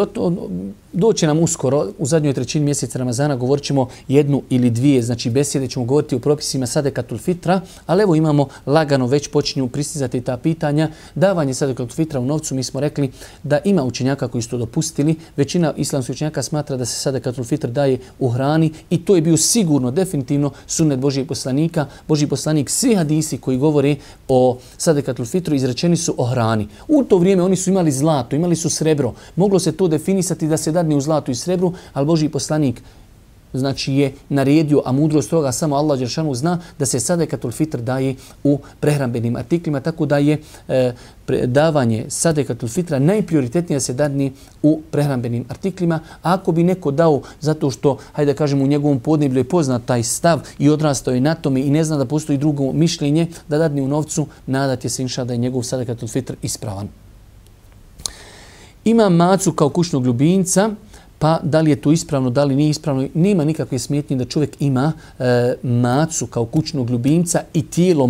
doće nam uskoro, u zadnjoj trećini mjeseca Ramazana, govorit ćemo 1 ili 2, znači besjede ćemo govoriti o propisima sadekatul fitra, ali evo imamo lagano, već počinju pristizati ta pitanja. Davanje sadekatul fitra u novcu, mi smo rekli da ima učenjaka koji su to dopustili, većina islamskih učenjaka smatra da se sadekatul fitr daje u hrani i to je bio sigurno, definitivno sunnet Božijeg poslanika. Božji poslanik, svi hadisi koji govore o sadekatul fitru izrečeni su o hrani. U to vrijeme oni su imali zlato, imali su srebro. Moglo se to definisati da se dadne u zlatu i srebru, ali Božji poslanik znači je naredio, a mudrost toga samo Allah dželešanu zna, da se sadekatul fitr daje u prehrambenim artiklima, tako da je davanje sadekatul fitra najprioritetnije da se dadne u prehrambenim artiklima. A ako bi neko dao zato što, hajde da kažemo, u njegovom podneblju je poznat taj stav i odrastao je na tome i ne zna da postoji drugo mišljenje, da dadne u novcu, nadati se inša da je njegov sadekatul fitr ispravan. Ima macu kao kućnog ljubimca, pa da li je to ispravno, da li nije ispravno, nema nikakve smetnje da čovjek ima macu kao kućnog ljubimca i tijelo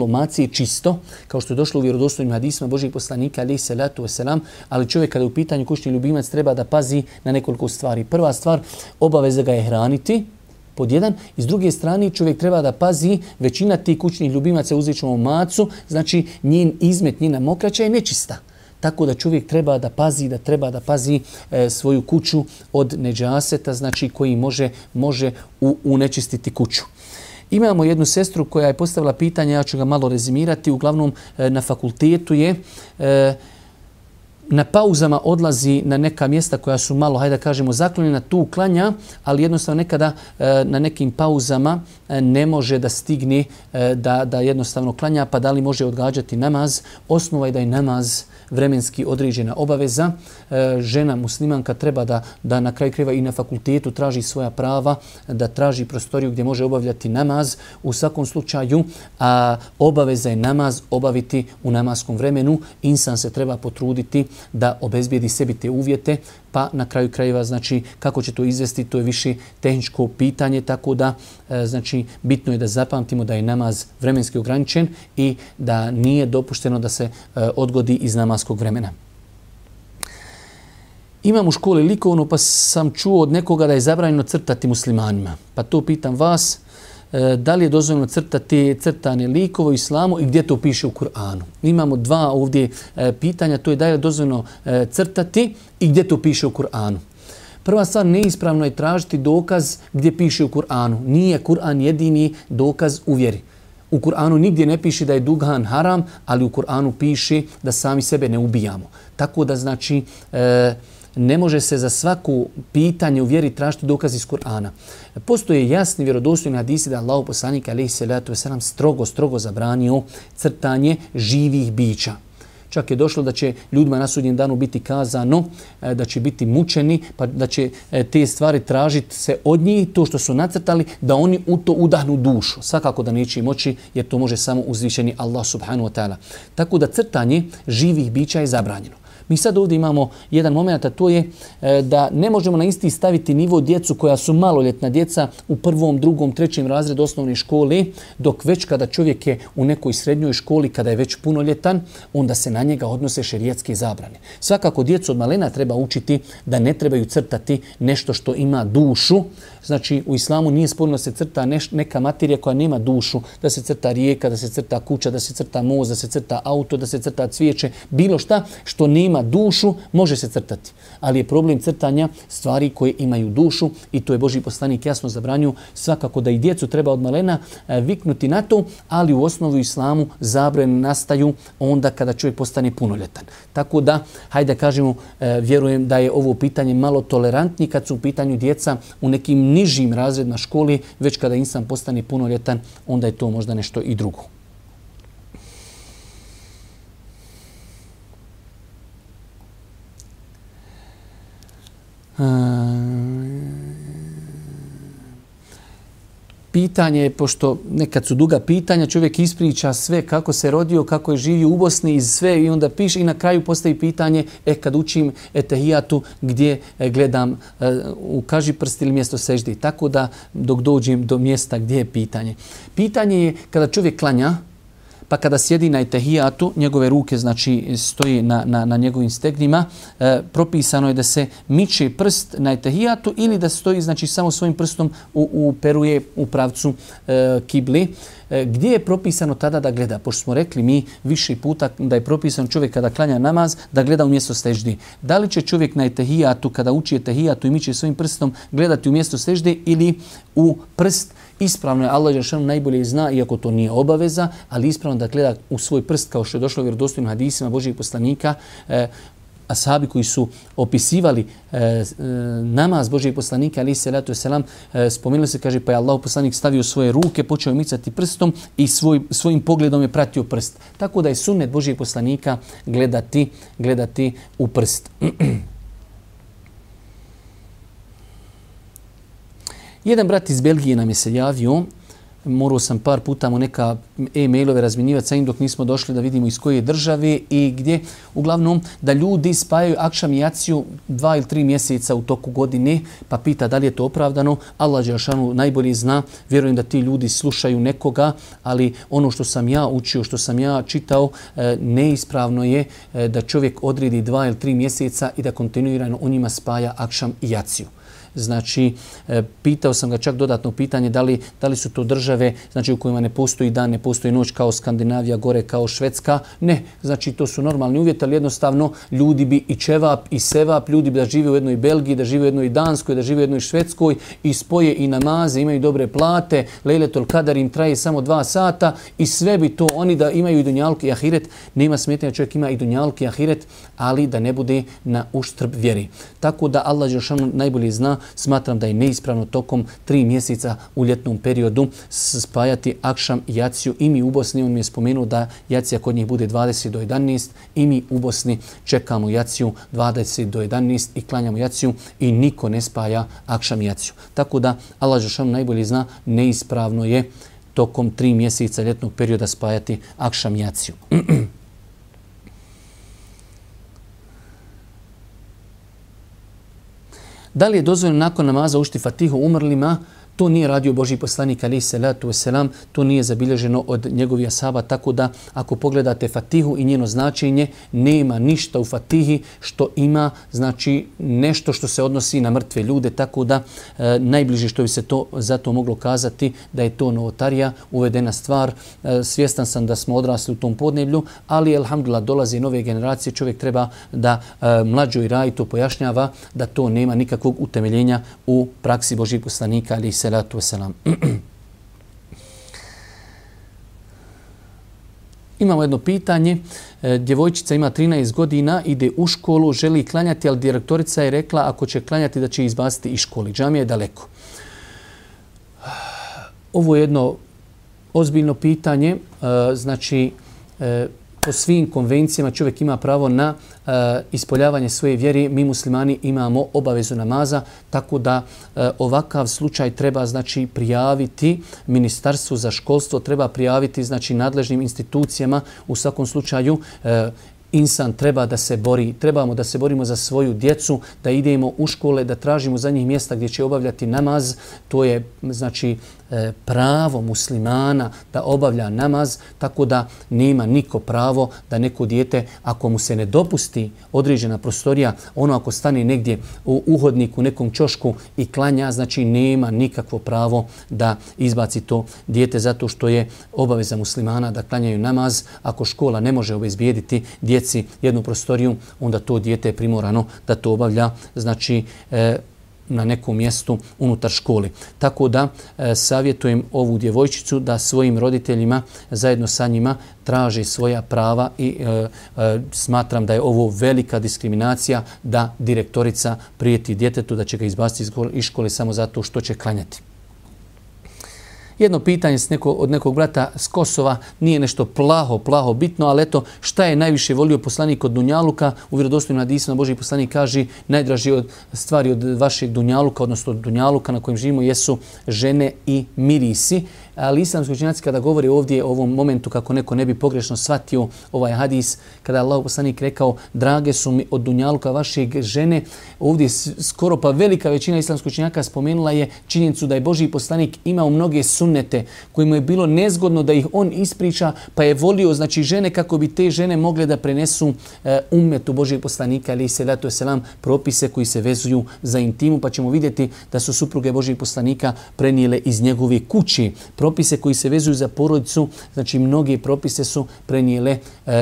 maci je čisto, kao što je došlo u vjerodostojnim hadisima Božjeg poslanika alejhi salatu vesselam, ali čovjek kada je u pitanju kućni ljubimac treba da pazi na nekoliko stvari. Prva stvar, obaveza ga je hraniti, pod jedan, i s druge strane čovjek treba da pazi, većina tih kućnih ljubimaca, uzet ćemo macu, znači njen izmet, njena mokraća je nečista. Tako da čovjek treba da pazi svoju kuću od neđaseta, znači koji može unečistiti kuću. Imamo jednu sestru koja je postavila pitanje, ja ću ga malo rezimirati, uglavnom na fakultetu je, na pauzama odlazi na neka mjesta koja su malo, hajde da kažemo, zaklonjena, tu klanja, ali jednostavno nekada na nekim pauzama ne može da stigne da jednostavno klanja, pa da li može odgađati namaz. Osnova je da je namaz vremenski određena obaveza. Žena muslimanka treba da na kraju krajeva i na fakultetu traži svoja prava, da traži prostoriju gdje može obavljati namaz. U svakom slučaju obaveza je namaz obaviti u namaskom vremenu. Insan se treba potruditi da obezbijedi sebi te uvjete, pa na kraju krajeva, znači, kako će to izvesti, to je više tehničko pitanje, tako da, znači, bitno je da zapamtimo da je namaz vremenski ograničen i da nije dopušteno da se odgodi iz namaskog vremena. Imam u školi likovno, pa sam čuo od nekoga da je zabranjeno crtati muslimanima. Pa to pitam vas, da li je dozvoljeno crtati crtane likove u islamu i gdje to piše u Kur'anu. Imamo dva ovdje pitanja, to je da li je dozvoljeno crtati i gdje to piše u Kur'anu. Prva stvar, neispravno je tražiti dokaz gdje piše u Kur'anu. Nije Kur'an jedini dokaz u vjeri. U Kur'anu nigdje ne piše da je duhan haram, ali u Kur'anu piše da sami sebe ne ubijamo. Tako da znači ne može se za svaku pitanje u vjeri tražiti dokaz iz Kur'ana. Postoje jasni vjerodostojni hadisi da je Allahov poslanik alejhi selatu vesselam strogo zabranio crtanje živih bića. Čak je došlo da će ljudima na sudnjem danu biti kazano da će biti mučeni, pa da će te stvari tražiti se od njih, to što su nacrtali, da oni u to udahnu dušu. Svakako da neće moći, jer to može samo uzvišeni Allah subhanahu wa ta'ala. Tako da crtanje živih bića je zabranjeno. Mi sad ovdje imamo jedan moment, a to je da ne možemo na isti staviti nivo djecu koja su maloljetna djeca u 1., 2., 3. razredu osnovne škole, dok već kada čovjek je u nekoj srednjoj školi, kada je već punoljetan, onda se na njega odnose šerijatske zabrane. Svakako djecu od malena treba učiti da ne trebaju crtati nešto što ima dušu. Znači u islamu nije sporno da se crta neka materija koja nema dušu, da se crta rijeka, da se crta kuća, da se crta most, da se crta auto, da se crta cvijeće, bilo šta što nema dušu može se crtati. Ali je problem crtanja stvari koje imaju dušu i to je Božji poslanik jasno zabranio. Svakako da i djecu treba od malena viknuti na to, ali u osnovu islamu zabrane nastaju onda kada čovjek postane punoljetan. Tako da, hajde da kažemo, vjerujem da je ovo pitanje malo tolerantnije kad su u pitanju djeca u nekim nižim razredima škole, već kada insan postane punoljetan, onda je to možda nešto i drugo. Pitanje, pošto nekad su duga pitanja, čovjek ispriča sve kako se rodio, kako je živio u Bosni i sve i onda piše i na kraju postavi pitanje kad učim etehijatu gdje gledam u kažiprst ili mjesto seždi. Tako da dok dođem do mjesta gdje je pitanje. Pitanje je kada čovjek klanja, pa kada sjedi na etehijatu, njegove ruke znači stoji na njegovim stegnima, propisano je da se miče prst na etehijatu ili da stoji znači samo svojim prstom uperuje u pravcu kibli. Gdje je propisano tada da gleda? Pošto smo rekli mi više puta da je propisano čovjek kada klanja namaz da gleda u mjesto seždi. Da li će čovjek na etehijatu kada uči etehijatu i miče svojim prstom gledati u mjesto sežde ili u prst? Ispravno je, Allah dželle najbolje zna, iako to nije obaveza, ali ispravno da gleda u svoj prst kao što je došlo u vjerodostojnim hadisima Božjih poslanika. Ashabi koji su opisivali namaz Božjeg poslanika alejhi selatu vesselam, spomenuli se, kaže, pa je Allahov poslanik stavio svoje ruke, počeo micati prstom i svojim pogledom je pratio prst. Tako da je sunnet Božjeg poslanika gledati u prst. Jedan brat iz Belgije nam je se javio, morao sam par puta mu neka e-mailove razmjenjivati sa njim dok nismo došli da vidimo iz koje države i gdje. Uglavnom da ljudi spajaju akšam i jaciju 2 ili 3 mjeseca u toku godine, pa pita da li je to opravdano. Allah dželešanu najbolje zna, vjerujem da ti ljudi slušaju nekoga, ali ono što sam ja učio, što sam ja čitao, neispravno je da čovjek odredi 2 ili 3 mjeseca i da kontinuirano u njima spaja akšam i jaciju. Znači, pitao sam ga čak dodatno pitanje da li su to države znači, u kojima ne postoji dan, ne postoji noć kao Skandinavija, gore kao Švedska. Ne, znači to su normalni uvjeti, ali jednostavno ljudi bi i čevap i sevap, ljudi bi da žive u jednoj Belgiji, da žive u jednoj Danskoj, da žive u jednoj Švedskoj i spoje i namaze, imaju dobre plate, Lejletul Kadar im traje samo 2 sata i sve bi to oni da imaju i dunjaluk i ahiret. Nema smetnja, čovjek ima i dunjaluk i ahiret, ali da ne bude na uštrb vjeri. Tako da Allah dželešanu najbolje zna. Smatram da je neispravno tokom 3 mjeseca u ljetnom periodu spajati akšam i jaciju. I mi u Bosni, on mi je spomenuo da jacija kod njih bude 20 do 11 i mi u Bosni čekamo jaciju 20 do 11 i klanjamo jaciju i niko ne spaja akšam i jaciju. Tako da Allah dželešanu najbolje zna, neispravno je tokom 3 mjeseca ljetnog perioda spajati akšam i jaciju. Da li je dozvoljeno nakon namaza učiti fatihu umrlima? To nije radio Božji poslanik alejhi selatu vesselam, to nije zabilježeno od njegovih ashaba, tako da ako pogledate Fatihu i njeno značenje, nema ništa u Fatihi što ima znači nešto što se odnosi na mrtve ljude, tako da najbliže što bi se to zato moglo kazati da je to novotarija, uvedena stvar. Svjestan sam da smo odrasli u tom podneblju, ali alhamdulillah dolaze nove generacije, čovjek treba da mlađoj raji to pojašnjava da to nema nikakvog utemeljenja u praksi Božjih poslanika alejhi selatu vesselam. Imamo jedno pitanje. Djevojčica ima 13 godina, ide u školu, želi klanjati, ali direktorica je rekla ako će klanjati da će izbaciti iz škole. Džamija je daleko. Ovo je jedno ozbiljno pitanje. Znači, po svim konvencijama čovjek ima pravo na ispoljavanje svoje vjere. Mi muslimani imamo obavezu namaza, tako da ovakav slučaj treba znači prijaviti Ministarstvu za školstvo, treba prijaviti znači nadležnim institucijama. U svakom slučaju insan treba da se bori, trebamo da se borimo za svoju djecu, da idemo u škole, da tražimo za njih mjesta gdje će obavljati namaz. To je znači pravo muslimana da obavlja namaz, tako da nema niko pravo da neko dijete, ako mu se ne dopusti određena prostorija, ono ako stane negdje u uhodniku, nekom ćošku i klanja, znači nema nikakvo pravo da izbaci to dijete, zato što je obaveza muslimana da klanjaju namaz. Ako škola ne može obezbijediti djeci jednu prostoriju, onda to dijete je primorano da to obavlja, znači na nekom mjestu unutar škole. Tako da savjetujem ovu djevojčicu da svojim roditeljima zajedno sa njima traži svoja prava i smatram da je ovo velika diskriminacija da direktorica prijeti djetetu da će ga izbaciti iz škole samo zato što će klanjati. Jedno pitanje od nekog brata s Kosova, nije nešto plaho bitno, ali eto, šta je najviše volio poslanik od dunjaluka? U vjerodostojnim hadisima Božji poslanik kaže najdraži od stvari od vašeg dunjaluka, odnosno od dunjaluka na kojem živimo, jesu žene i mirisi. Ali islamski učenjaci kada govori ovdje o ovom momentu, kako neko ne bi pogrešno shvatio ovaj hadis, kada je Allah poslanik rekao drage su mi od dunjaluka vašeg žene, ovdje skoro pa velika većina islamskih učenjaka spomenula je činjenicu da je Božji poslanik imao mnoge sunnete kojima je bilo nezgodno da ih on ispriča, pa je volio znači žene kako bi te žene mogle da prenesu ummetu Božjeg poslanika alejhi selatu vesselam propise koji se vezuju za intimu, pa ćemo vidjeti da su supruge Božjeg poslanika prenijele iz njegove kući propise koji se vezuju za porodicu, znači mnoge propise su prenijele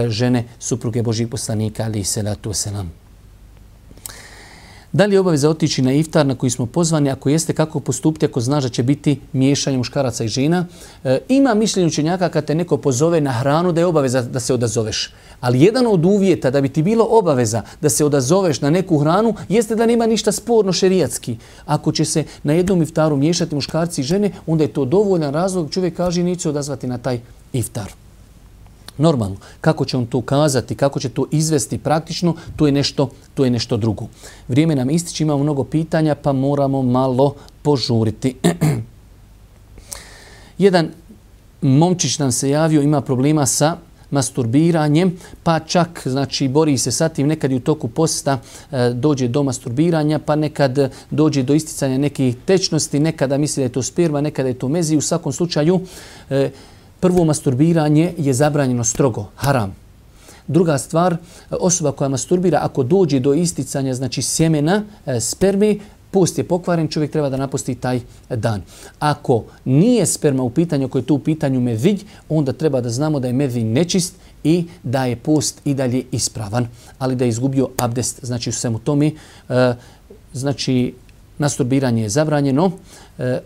žene supruge Božjeg poslanika alejhi selatu vesselam. Da li je obaveza otići na iftar na koji smo pozvani? Ako jeste, kako postupiti ako znaš da će biti miješanje muškaraca i žena? Ima mišljenje učenjaka kad te neko pozove na hranu da je obaveza da se odazoveš. Ali jedan od uvjeta da bi ti bilo obaveza da se odazoveš na neku hranu jeste da nema ništa sporno šerijatski. Ako će se na jednom iftaru miješati muškarci i žene, onda je to dovoljan razlog. Čovjek kaže neće se odazvati na taj iftar. Normalno, kako će on to kazati, kako će to izvesti praktično, to je nešto drugo. Vrijeme nam ističe, imamo mnogo pitanja, pa moramo malo požuriti. Jedan momčić nam se javio, ima problema sa masturbiranjem, pa čak znači bori se sa tim, nekad i u toku posta dođe do masturbiranja, pa nekad dođe do isticanja nekih tečnosti, nekada misli da je to sperma, nekada je to mezi. U svakom slučaju prvo, masturbiranje je zabranjeno strogo, haram. Druga stvar, osoba koja masturbira, ako dođe do isticanja znači sjemena, sperme, post je pokvaren, čovjek treba da napusti taj dan. Ako nije sperma u pitanju, ako je to u pitanju medij, onda treba da znamo da je medij nečist i da je post i dalje ispravan, ali da je izgubio abdest. Znači u svemu tome, znači masturbiranje je zabranjeno.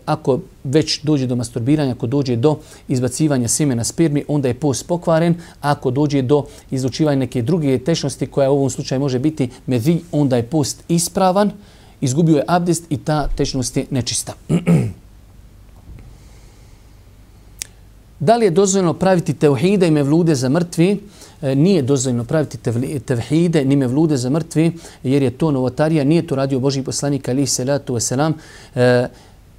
Ako već dođe do masturbiranja, ako dođe do izbacivanja sjemena spermi, onda je post pokvaren. Ako dođe do izlučivanja neke druge tečnosti koja u ovom slučaju može biti medij, onda je post ispravan, izgubio je abdest i ta tečnost je nečista. Da li je dozvoljeno praviti tevhide i mevlude za mrtvi? Nije dozvoljeno praviti tevhide ni mevlude za mrtvi, jer je to novotarija, nije to radio Božji poslanik alejhi selatu vesselam.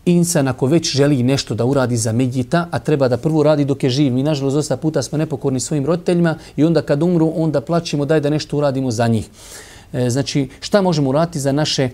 Insan ako već želi nešto da uradi za medjita, a treba da prvo radi dok je živ. Mi nažalost dosta puta smo nepokorni svojim roditeljima i onda kad umru, onda plačimo daj da nešto uradimo za njih. Znači, šta možemo uraditi za naše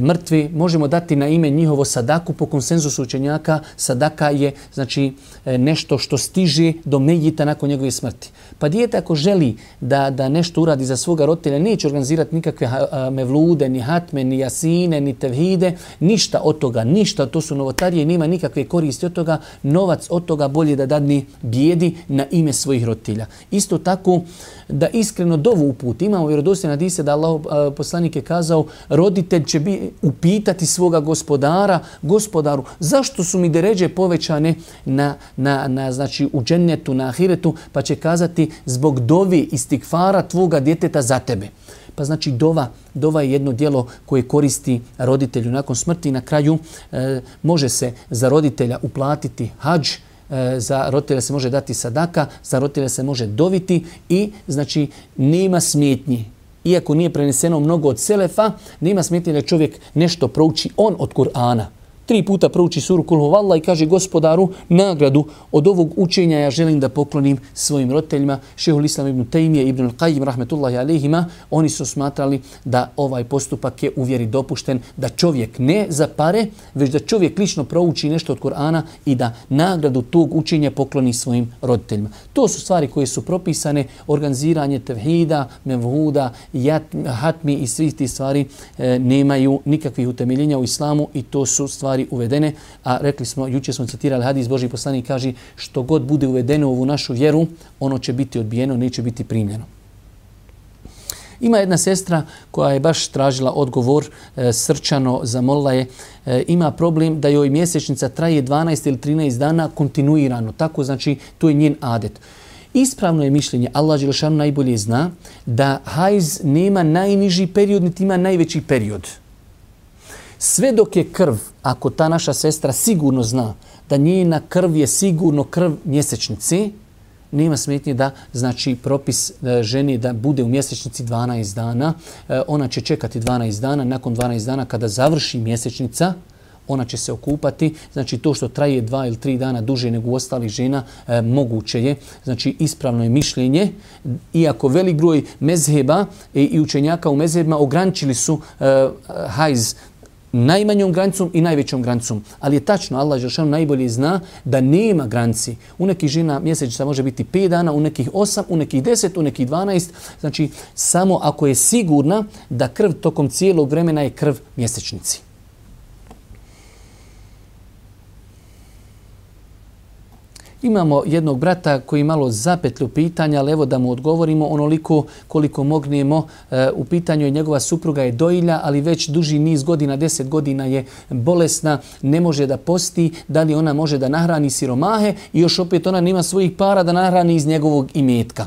mrtvi? Možemo dati na ime njihovo sadaku. Po konsenzusu učenjaka sadaka je znači nešto što stiže do mejita nakon njegove smrti. Pa dijete ako želi da nešto uradi za svoga roditelja, neće organizirati nikakve mevlude, ni hatme, ni jasine, ni tevhide, ništa od toga, ništa, to su novotarije i nema nikakve koristi od toga, novac od toga bolje da dadne bijedi na ime svojih roditelja. Isto tako da iskreno dovu uputi. Imamo vjerodostojne hadise da Allah poslanik je kazao, roditelj će upitati svoga gospodara, gospodaru, zašto su mi deređe povećane znači u džennetu, na ahiretu, pa će kazati zbog dovi istikfara tvoga djeteta za tebe. Pa znači dova je jedno djelo koje koristi roditelju nakon smrti i na kraju može se za roditelja uplatiti hadž, za roditelja se može dati sadaka, za roditelja se može doviti i znači nema smetnji. Iako nije preneseno mnogo od selefa, nema smetnje da čovjek nešto prouči on od Kur'ana. 3 puta prouči suru Kul huvallah i kaže gospodaru, nagradu od ovog učenja ja želim da poklonim svojim roditeljima. Šejhul Islam ibn Tejmije, ibn al-Qajim, rahmetullahi alejhima, oni su smatrali da ovaj postupak je u vjeri dopušten, da čovjek ne za pare, već da čovjek lično prouči nešto od Kur'ana i da nagradu tog učenja pokloni svojim roditeljima. To su stvari koje su propisane, organiziranje tevhida, mevhuda, hatmi i svih tih stvari nemaju nikakvih utemeljenja u islamu i to su stvari uvedene, a rekli smo, jučer smo citirali hadis, Božji poslanik kaže što god bude uvedeno u ovu našu vjeru, ono će biti odbijeno, neće biti primljeno. Ima jedna sestra koja je baš tražila odgovor, srčano zamolila je, ima problem da joj mjesečnica traje 12 ili 13 dana kontinuirano, tako znači to je njen adet. Ispravno je mišljenje, Allah dželešanu najbolje zna, da hajz nema najniži period, niti ima najveći period. Sve dok je krv, ako ta naša sestra sigurno zna da njena krv je sigurno krv mjesečnice, nema smetnje da znači propis ženi da bude u mjesečnici 12 dana. Ona će čekati 12 dana, nakon 12 dana kada završi mjesečnica, ona će se okupati. Znači to što traje 2 ili 3 dana duže nego u ostalih žena, moguće je. Znači ispravno je mišljenje. Iako velik broj mezheba i učenjaka u mezhebima ograničili su hajz najmanjom granicom i najvećom granicom. Ali je tačno, Allah dželešanu najbolje zna da nema granici. U nekih žena mjesečnica može biti 5 dana, u nekih 8, u nekih 10, u nekih 12. Znači, samo ako je sigurna da krv tokom cijelog vremena je krv mjesečnici. Imamo jednog brata koji malo zapetlju pitanja, ali evo da mu odgovorimo onoliko koliko mognemo. U pitanju je njegova supruga je dojilja, ali već duži niz godina, 10 godina je bolesna, ne može da posti, da li ona može da nahrani siromahe i još opet ona nema svojih para da nahrani iz njegovog imetka.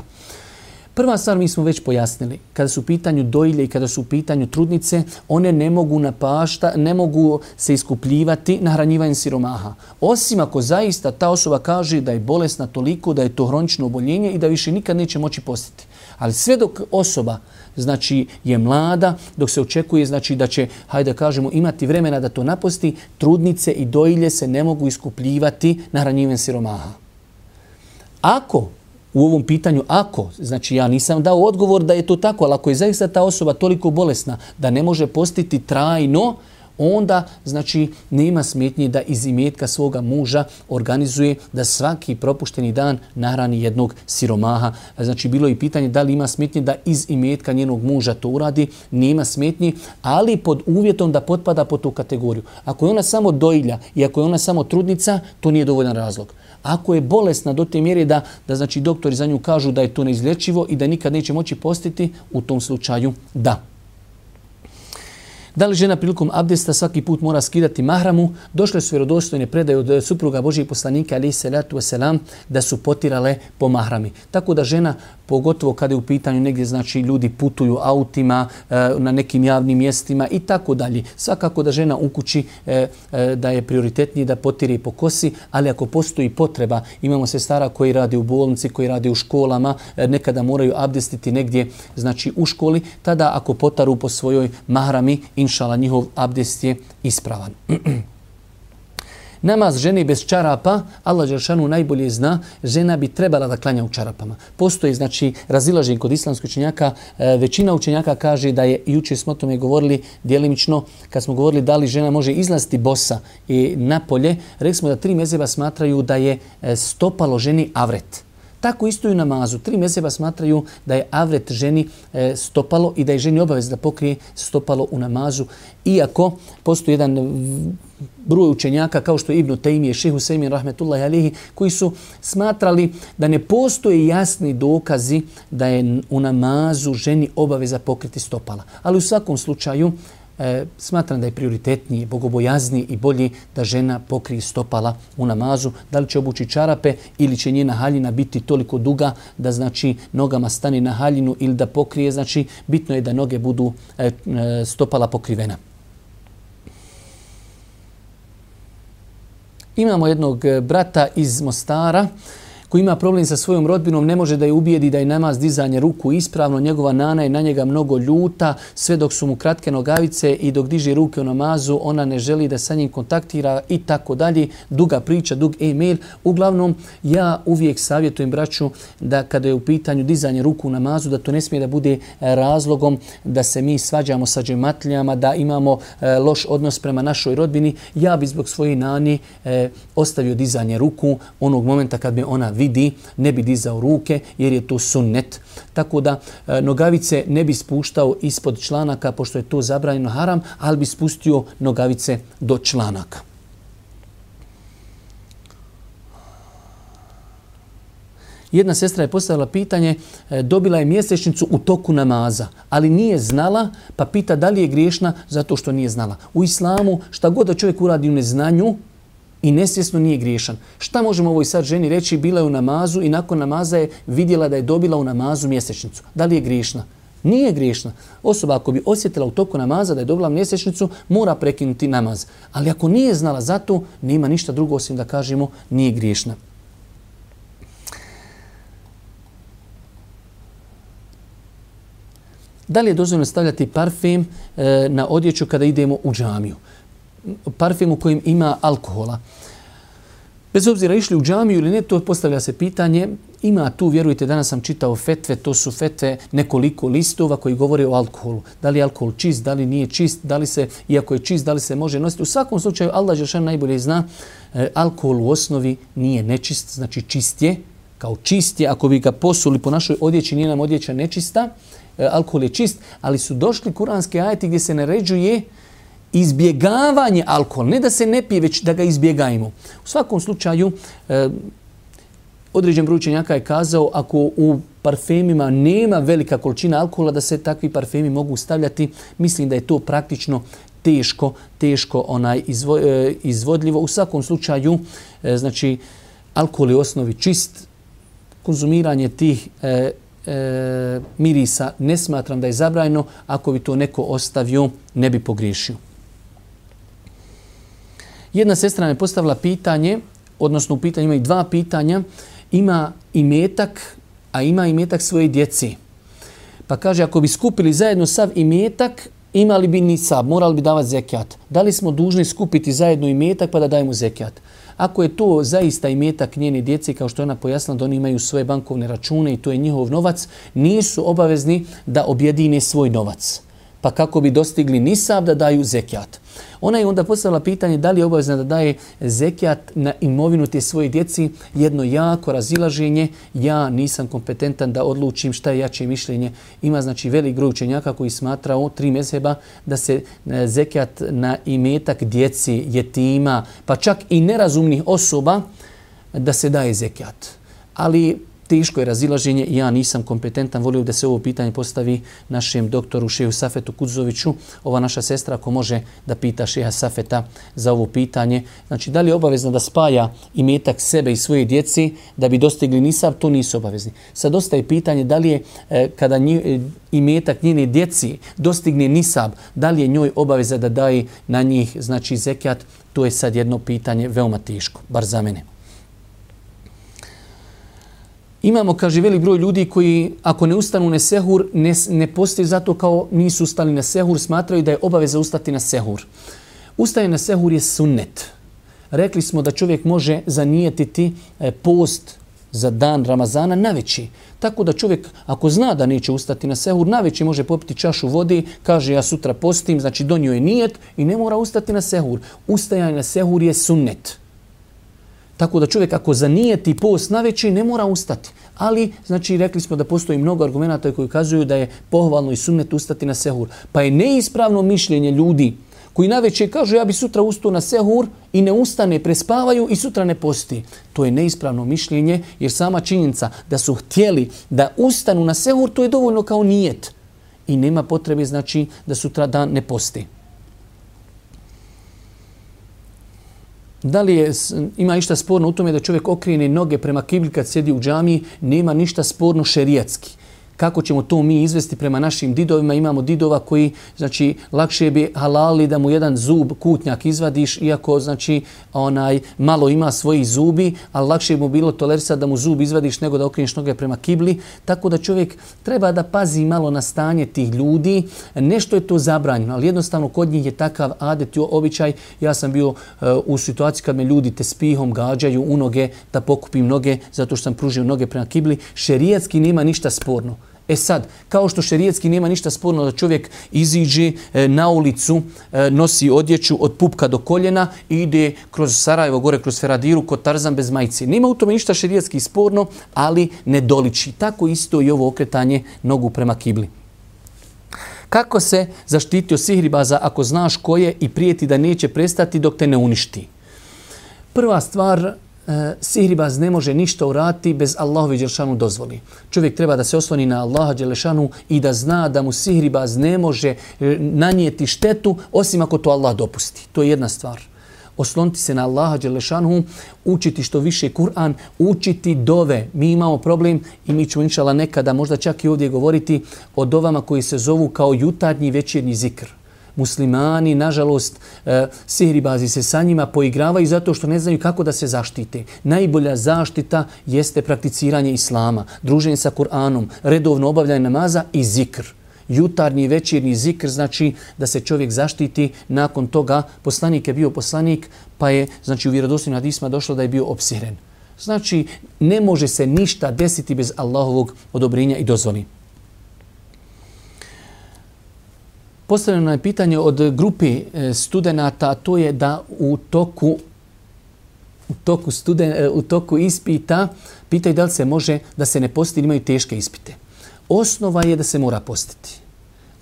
Prva stvar mi smo već pojasnili, kada su u pitanju dojilje i kada su u pitanju trudnice, one ne mogu ne mogu se iskupljivati nahranjivanjem siromaha. Osim ako zaista ta osoba kaže da je bolesna toliko, da je to hronično oboljenje i da više nikad neće moći postiti. Ali sve dok osoba znači je mlada, dok se očekuje znači da će, hajde da kažemo, imati vremena da to naposti, trudnice i dojilje se ne mogu iskupljivati nahranjivanjem siromaha. Ako u ovom pitanju, znači ja nisam dao odgovor da je to tako, ali ako je zaista ta osoba toliko bolesna da ne može postiti trajno, onda znači nema smetnje da iz imetka svoga muža organizuje da svaki propušteni dan nahrani jednog siromaha. Znači bilo je i pitanje da li ima smetnje da iz imetka njenog muža to uradi, nema smetnje, ali pod uvjetom da potpada pod tu kategoriju. Ako je ona samo dojilja i ako je ona samo trudnica, to nije dovoljan razlog. Ako je bolesna do te mjere da znači doktori za nju kažu da je to neizlječivo i da nikad neće moći postiti, u tom slučaju da. Da li žena prilikom abdesta svaki put mora skidati mahramu? Došle su vjerodostojne predaje od supruga Božijeg poslanika alejhi selatu vesselam da su potirale po mahrami. Tako da žena, pogotovo kada je u pitanju negdje znači ljudi putuju autima, na nekim javnim mjestima i tako dalje. Svakako da žena u kući da je prioritetnije da potire po kosi, ali ako postoji potreba, imamo sestara koji rade u bolnici, koji rade u školama, nekada moraju abdestiti negdje znači u školi, tada ako potaru po svojoj mahrami, inšala njihov abdest je ispravan. Namaz žene bez čarapa, Allah dželešanu najbolje zna, žena bi trebala da klanja u čarapama. Postoji znači razilaženje kod islamskih učenjaka. Većina učenjaka kaže da je, jučer smo o tome govorili djelimično, kad smo govorili da li žena može izlaziti bosa i napolje, rekli smo da 3 mezheba smatraju da je stopalo ženi avret. Tako isto i u namazu. 3 mezheba smatraju da je avret ženi stopalo i da je ženi obavez da pokrije stopalo u namazu. Iako postoji jedan broj učenjaka kao što je Ibn Tejmije, Šejh Husejmin rahmetullahi alejhi, koji su smatrali da ne postoje jasni dokazi da je u namazu ženi obaveza pokriti stopala. Ali u svakom slučaju smatram da je prioritetniji, bogobojazniji i bolji da žena pokrije stopala u namazu. Da li će obući čarape ili će njena haljina biti toliko duga da znači nogama stane na haljinu ili da pokrije, znači bitno je da noge budu stopala pokrivena. Imamo jednog brata iz Mostara koji ima problem sa svojom rodbinom, ne može da je ubijedi da je namaz dizanje ruku ispravno, njegova nana je na njega mnogo ljuta, sve dok su mu kratke nogavice i dok diže ruke u namazu, ona ne želi da sa njim kontaktira i tako dalje. Duga priča, dug e-mail. Uglavnom, ja uvijek savjetujem braću da kada je u pitanju dizanje ruku u namazu, da to ne smije da bude razlogom da se mi svađamo sa džematlijama, da imamo loš odnos prema našoj rodbini. Ja bi zbog svoje nani ostavio dizanje ruku onog momenta kad me ona vidi, ne bi dizao ruke jer je to sunnet. Tako da nogavice ne bi spuštao ispod članaka pošto je to zabranjeno haram, ali bi spustio nogavice do članaka. Jedna sestra je postavila pitanje, dobila je mjesečnicu u toku namaza, ali nije znala, pa pita da li je griješna zato što nije znala. U islamu šta god da čovjek uradi u neznanju, i nesvjesno nije griješan. Šta možemo ovoj sad ženi reći? Bila je u namazu i nakon namaza je vidjela da je dobila u namazu mjesečnicu. Da li je griješna? Nije griješna. Osoba ako bi osjetila u toku namaza da je dobila mjesečnicu, mora prekinuti namaz. Ali ako nije znala za to, nema ništa drugo osim da kažemo nije griješna. Da li je dozvoljeno stavljati parfem na odjeću kada idemo u džamiju? Parfem u kojem ima alkohola. Bez obzira išli u džamiju ili ne, to postavlja se pitanje. Ima tu, vjerujte, danas sam čitao fetve, to su fetve nekoliko listova koji govore o alkoholu. Da li je alkohol čist, da li nije čist, da li se, iako je čist, da li se može nositi. U svakom slučaju, Allah dželešanu najbolje zna, alkohol u osnovi nije nečist, znači čist je. Kao čist je, ako bi ga posuli po našoj odjeći, nije nam odjeća nečista, alkohol je čist, ali su došli kuranske ajeti gdje se naređuje izbjegavanje alkohola, ne da se ne pije, već da ga izbjegajmo. U svakom slučaju, određen broj učenjaka je kazao ako u parfemima nema velika količina alkohola, da se takvi parfemi mogu stavljati. Mislim da je to praktično teško izvodljivo. U svakom slučaju, znači, alkohol je u osnovi čist. Konzumiranje tih mirisa ne smatram da je zabranjeno. Ako bi to neko ostavio, ne bi pogriješio. Jedna sestra me postavila pitanje, odnosno u pitanju ima i 2 pitanja. Ima imetak, a ima imetak svoje djeci. Pa kaže, ako bi skupili zajedno sav imetak, imali bi nisab, morali bi davati zekijat. Da li smo dužni skupiti zajedno imetak pa da dajemo zekijat? Ako je to zaista imetak njene djece, kao što je ona pojasnila da oni imaju svoje bankovne račune i to je njihov novac, nisu obavezni da objedine svoj novac. Pa kako bi dostigli nisab da daju zekijat. Ona je onda postavila pitanje da li je obavezna da daje zekijat na imovinu te svoje djeci. Jedno jako razilaženje. Ja nisam kompetentan da odlučim šta je jače mišljenje. Ima znači velik broj učenjaka koji smatrao 3 mezheba da se zekijat na imetak djeci, jetima, pa čak i nerazumnih osoba da se daje zekijat. Ali teško je razilaženje i ja nisam kompetentan. Volio da se ovo pitanje postavi našem doktoru Šehu Safetu Kudzoviću. Ova naša sestra ako može da pita Šeha Safeta za ovo pitanje. Znači, da li je obavezno da spaja imetak sebe i svoje djeci da bi dostigli nisab? To nisu obavezni. Sad ostaje pitanje da li je kada imetak njene djeci dostigne nisab, da li je njoj obaveza da daje na njih znači zekijat? To je sad jedno pitanje veoma teško, bar za mene. Imamo, kaže, velik broj ljudi koji ako ne ustanu na sehur, ne postoji zato kao nisu ustali na sehur, smatraju da je obaveza ustati na sehur. Ustaje na sehur je sunnet. Rekli smo da čovjek može zanijetiti post za dan Ramazana naveći. Tako da čovjek, ako zna da neće ustati na sehur, naveći može popiti čašu vode, kaže ja sutra postim, znači donio je nijet i ne mora ustati na sehur. Ustajanje na sehur je sunnet. Tako da čovjek ako zanijeti post naveći, ne mora ustati. Ali, znači, rekli smo da postoji mnogo argumenata koji kazuju da je pohvalno i sunnet ustati na sehur. Pa je neispravno mišljenje ljudi koji naveče kažu ja bi sutra ustao na sehur i ne ustane, prespavaju i sutra ne posti. To je neispravno mišljenje jer sama činjenica da su htjeli da ustanu na sehur, to je dovoljno kao nijet. I nema potrebe znači da sutra dan ne posti. Da li ima išta sporno u tome da čovjek okrene noge prema kibli kad sjedi u džamiji? Nema ništa sporno šerijatski. Kako ćemo to mi izvesti prema našim didovima? Imamo didova koji, znači, lakše bi halali da mu jedan zub, kutnjak izvadiš, iako, znači, malo ima svojih zubi, ali lakše bi mu bilo tolerisati da mu zub izvadiš nego da okreneš noge prema kibli. Tako da čovjek treba da pazi malo na stanje tih ljudi. Nešto je to zabranjeno, ali jednostavno kod njih je takav adet i običaj. Ja sam bio u situaciji kad me ljudi tespihom gađaju u noge da pokupim noge zato što sam pružio noge prema kibli. Šerijatski nema ništa sporno. E sad, kao što šerijetski nema ništa sporno da čovjek iziđe na ulicu, nosi odjeću od pupka do koljena i ide kroz Sarajevo, gore kroz Feradiru, kod Tarzan bez majice. Nema u tome ništa šerijetski sporno, ali ne doliči. Tako isto i ovo okretanje nogu prema kibli. Kako se zaštiti od sihribaza ako znaš ko je i prijeti da neće prestati dok te ne uništi? Prva stvar, sihribaz ne može ništa uraditi bez Allahove dželešanu dozvoli. Čovjek treba da se osloni na Allaha dželešanu i da zna da mu sihribaz ne može nanijeti štetu osim ako to Allah dopusti. To je jedna stvar. Osloniti se na Allaha dželešanu, učiti što više Kur'an, učiti dove. Mi imamo problem i mi ćemo inšallah nekada možda čak i ovdje govoriti o dovama koji se zovu kao jutarnji i večernji zikr. Muslimani, nažalost, sihribazi se sa njima poigravaju zato što ne znaju kako da se zaštite. Najbolja zaštita jeste prakticiranje islama, druženje sa Kur'anom, redovno obavljanje namaza i zikr. Jutarnji i večernji zikr znači da se čovjek zaštiti. Nakon toga poslanik je bio poslanik, pa je znači u vjerodostojnim hadisima došlo da je bio opsihren. Znači ne može se ništa desiti bez Allahovog odobrenja i dozvoli. Postavljeno je pitanje od grupe studenata, to je da u toku ispita pitaju da li se može da se ne posti, imaju teške ispite. Osnova je da se mora postiti.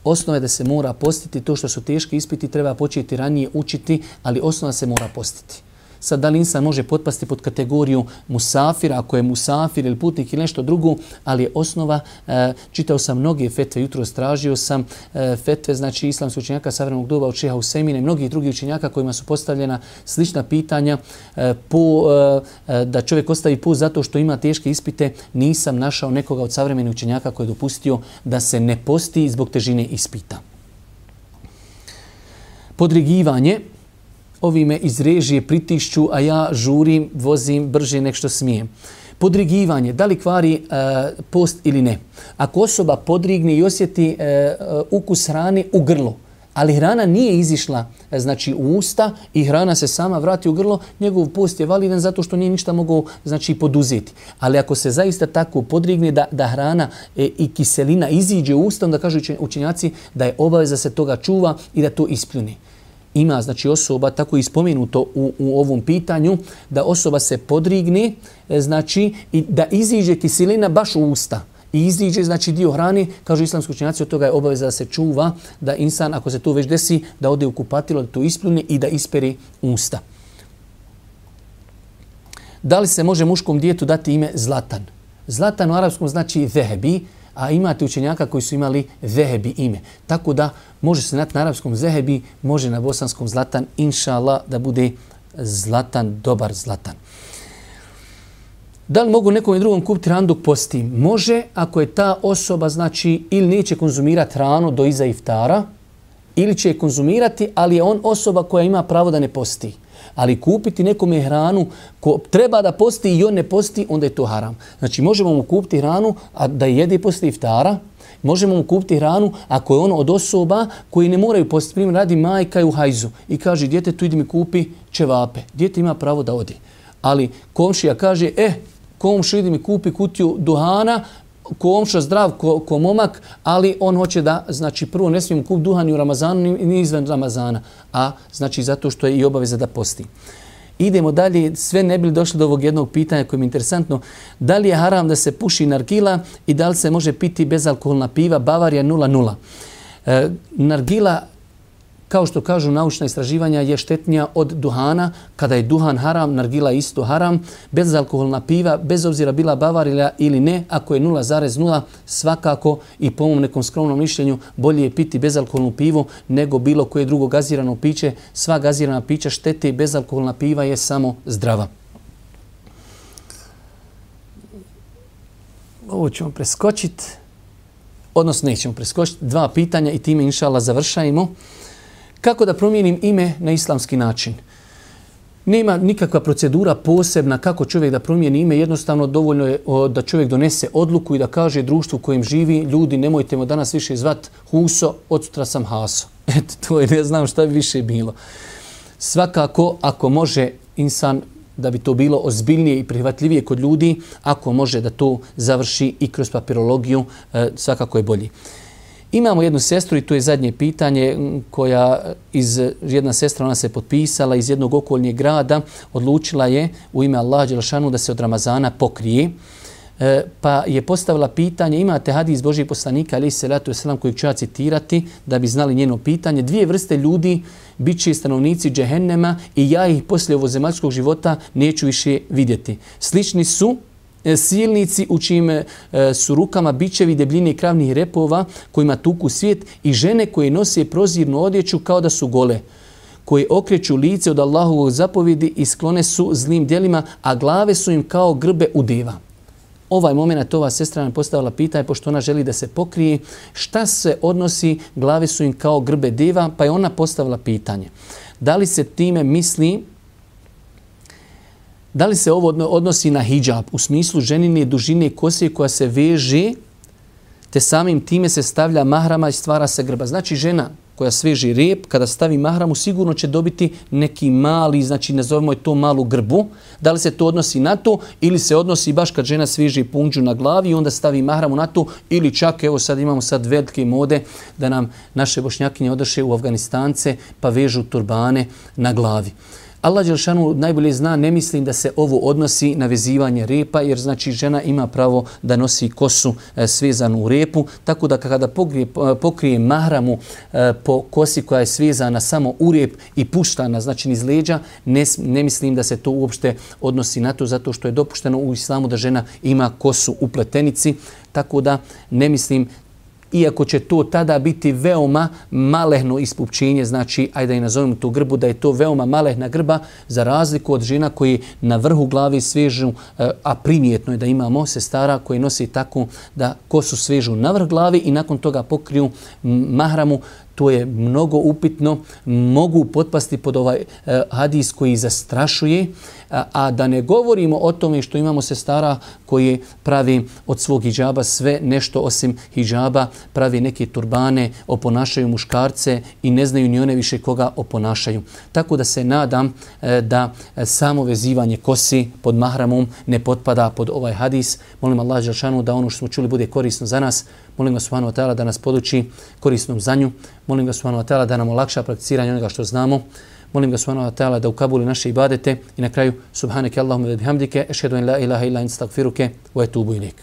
Osnova je da se mora postiti. To što su teški ispiti treba početi ranije učiti, ali osnova se mora postiti. Sad, da li insan može potpasti pod kategoriju musafira, ako je musafir ili putnik ili nešto drugo, ali je osnova, čitao sam mnoge fetve, jutro tražio sam fetve, znači islamskih učenjaka savremenog doba od Šeha Husemina i mnogih drugih učenjaka kojima su postavljena slična pitanja da čovjek ostavi post zato što ima teške ispite. Nisam našao nekoga od savremenih učenjaka koji je dopustio da se ne posti zbog težine ispita. Podrigivanje. Ovi me iz režije pritišću, a ja žurim, vozim brže nek što smijem. Podrigivanje, da li kvari post ili ne? Ako osoba podrigne i osjeti ukus hrane u grlu, ali hrana nije izišla znači u usta i hrana se sama vrati u grlo, njegov post je validan zato što nije ništa mogao znači poduzeti. Ali ako se zaista tako podrigne da hrana i kiselina iziđe u usta, onda kažu učenjaci da je obaveza se toga čuva i da to ispljune. Ima znači osoba, tako je spomenuto u ovom pitanju, da osoba se podrigne, znači i da iziđe kiselina baš u usta. I iziđe znači dio hrane, kažu islamski učenjaci, od toga je obaveza da se čuva, da insan, ako se to već desi, da ode u kupatilo, da to ispljune i da ispere usta. Da li se može muškom djetetu dati ime Zlatan? Zlatan u arapskom znači zehebi, a imate učenjaka koji su imali zehebi ime. Tako da može se na arapskom zehebi, može na bosanskom Zlatan, inšallah da bude Zlatan, dobar Zlatan. Da li mogu nekom drugom kupiti hranu dok posti? Može ako je ta osoba znači ili neće konzumirati hranu do iza iftara, ili će je konzumirati, ali je on osoba koja ima pravo da ne posti. Ali kupiti nekome hranu ko treba da posti i on ne posti, onda je to haram. Znači možemo mu kupiti hranu a da jede posle iftara Možemo mu kupiti hranu ako je ono od osoba koji ne moraju postiti. Primjer, radi majka u hajzu i kaže djetetu idi mi kupi ćevape. Dijete ima pravo da odi. Ali komšija kaže, komšija idi mi kupi kutiju duhana, komšija zdrav ko momak, ali on hoće da, znači prvo ne smijemo kupiti duhan u Ramazanu ni izvan Ramazana, a znači zato što je i obaveza da posti. Idemo dalje, sve ne bi došli do ovog jednog pitanja koje mi je interesantno. Da li je haram da se puši nargila i da li se može piti bezalkoholna piva Bavarija 0,0? Nargila, kao što kažu naučna istraživanja, je štetnija od duhana. Kada je duhan haram, nargila je isto haram. Bezalkoholna piva, bez obzira bila Bavarija ili ne, ako je 0,0, svakako i po mom nekom skromnom mišljenju bolje je piti bezalkoholnu pivu nego bilo koje drugo gazirano piće. Sva gazirana pića štete i bezalkoholna piva je samo zdrava. Ovo ćemo preskočiti, odnosno nećemo preskočiti. 2 pitanja i time inšallah završajemo. Kako da promijenim ime na islamski način? Nema nikakva procedura posebna kako čovjek da promijeni ime. Jednostavno dovoljno je da čovjek donese odluku i da kaže društvu u kojem živi, ljudi nemojte me danas više zvat Huso, od sutra sam Haso. Eto, to je, ne znam šta bi više bilo. Svakako, ako može insan, da bi to bilo ozbiljnije i prihvatljivije kod ljudi, ako može da to završi i kroz papirologiju, svakako je bolji. Imamo jednu sestru i to je zadnje pitanje koja jedna sestra, ona se potpisala iz jednog okolnijeg grada, odlučila je u ime Allaha dželešanu da se od Ramazana pokrije. Pa je postavila pitanje, imate hadis Božijeg poslanika alejhi selatu vesselam kojeg ću ja citirati da bi znali njeno pitanje. 2 vrste ljudi bit će stanovnici džehennema i ja ih poslije ovozemaljskog života neću više vidjeti. Slični su silnici u čijim su rukama bičevi debljine kravnih repova kojima tuku svijet i žene koje nose prozirnu odjeću kao da su gole, koje okreću lice od Allahovog zapovjedi i sklone su zlim djelima, a glave su im kao grbe udeva. Ovaj moment ova sestra nam postavila pitanje, pošto ona želi da se pokrije, šta se odnosi glave su im kao grbe deva, pa je ona postavila pitanje. Da li se time misli, da li se ovo odnosi na hidžab u smislu ženine dužine kose koja se veže, te samim time se stavlja mahrama i stvara se grba. Znači žena koja sveže rep, kada stavi mahramu, sigurno će dobiti neki mali, znači nazovimo je to malu grbu. Da li se to odnosi na to ili se odnosi baš kad žena sveže punđu na glavi i onda stavi mahramu na to, ili čak, evo sad imamo sad velike mode da nam naše bošnjakinje odoše u Afganistance pa vežu turbane na glavi. Allah dželešanu najbolje zna, ne mislim da se ovo odnosi na vezivanje repa, jer znači žena ima pravo da nosi kosu svezanu u repu, tako da kada pokrije mahramu po kosi koja je svezana samo u rep i puštana, znači iz leđa, ne mislim da se to uopšte odnosi na to, zato što je dopušteno u islamu da žena ima kosu u pletenici, tako da ne mislim, iako će to tada biti veoma malehno ispupčenje, znači, ajde da i nazovemo tu grbu, da je to veoma malehna grba, za razliku od žena koji na vrhu glavi svežu, a primjetno je da imamo sestara koji nosi tako da kosu svežu na vrh glavi i nakon toga pokriju mahramu. To je mnogo upitno, mogu potpasti pod ovaj hadis koji zastrašuje, a da ne govorimo o tome što imamo sestara koji pravi od svog hidžaba sve nešto osim hidžaba, pravi neke turbane, oponašaju muškarce i ne znaju ni one više koga oponašaju. Tako da se nadam da samo vezivanje kosi pod mahramom ne potpada pod ovaj hadis. Molim Allah dželešanu da ono što smo čuli bude korisno za nas. Molim ga subhanahu wa ta'ala da nas poduči korisnom znanju. Molim ga subhanahu wa ta'ala da nam olakša prakticiranje onoga što znamo. Molim ga subhanahu wa ta'ala da ukabuli naše ibadete. I na kraju, subhaneke Allahumma wa bihamdike, ešhedu en la ilaha illa ente, astagfiruke wa etubu ilejk.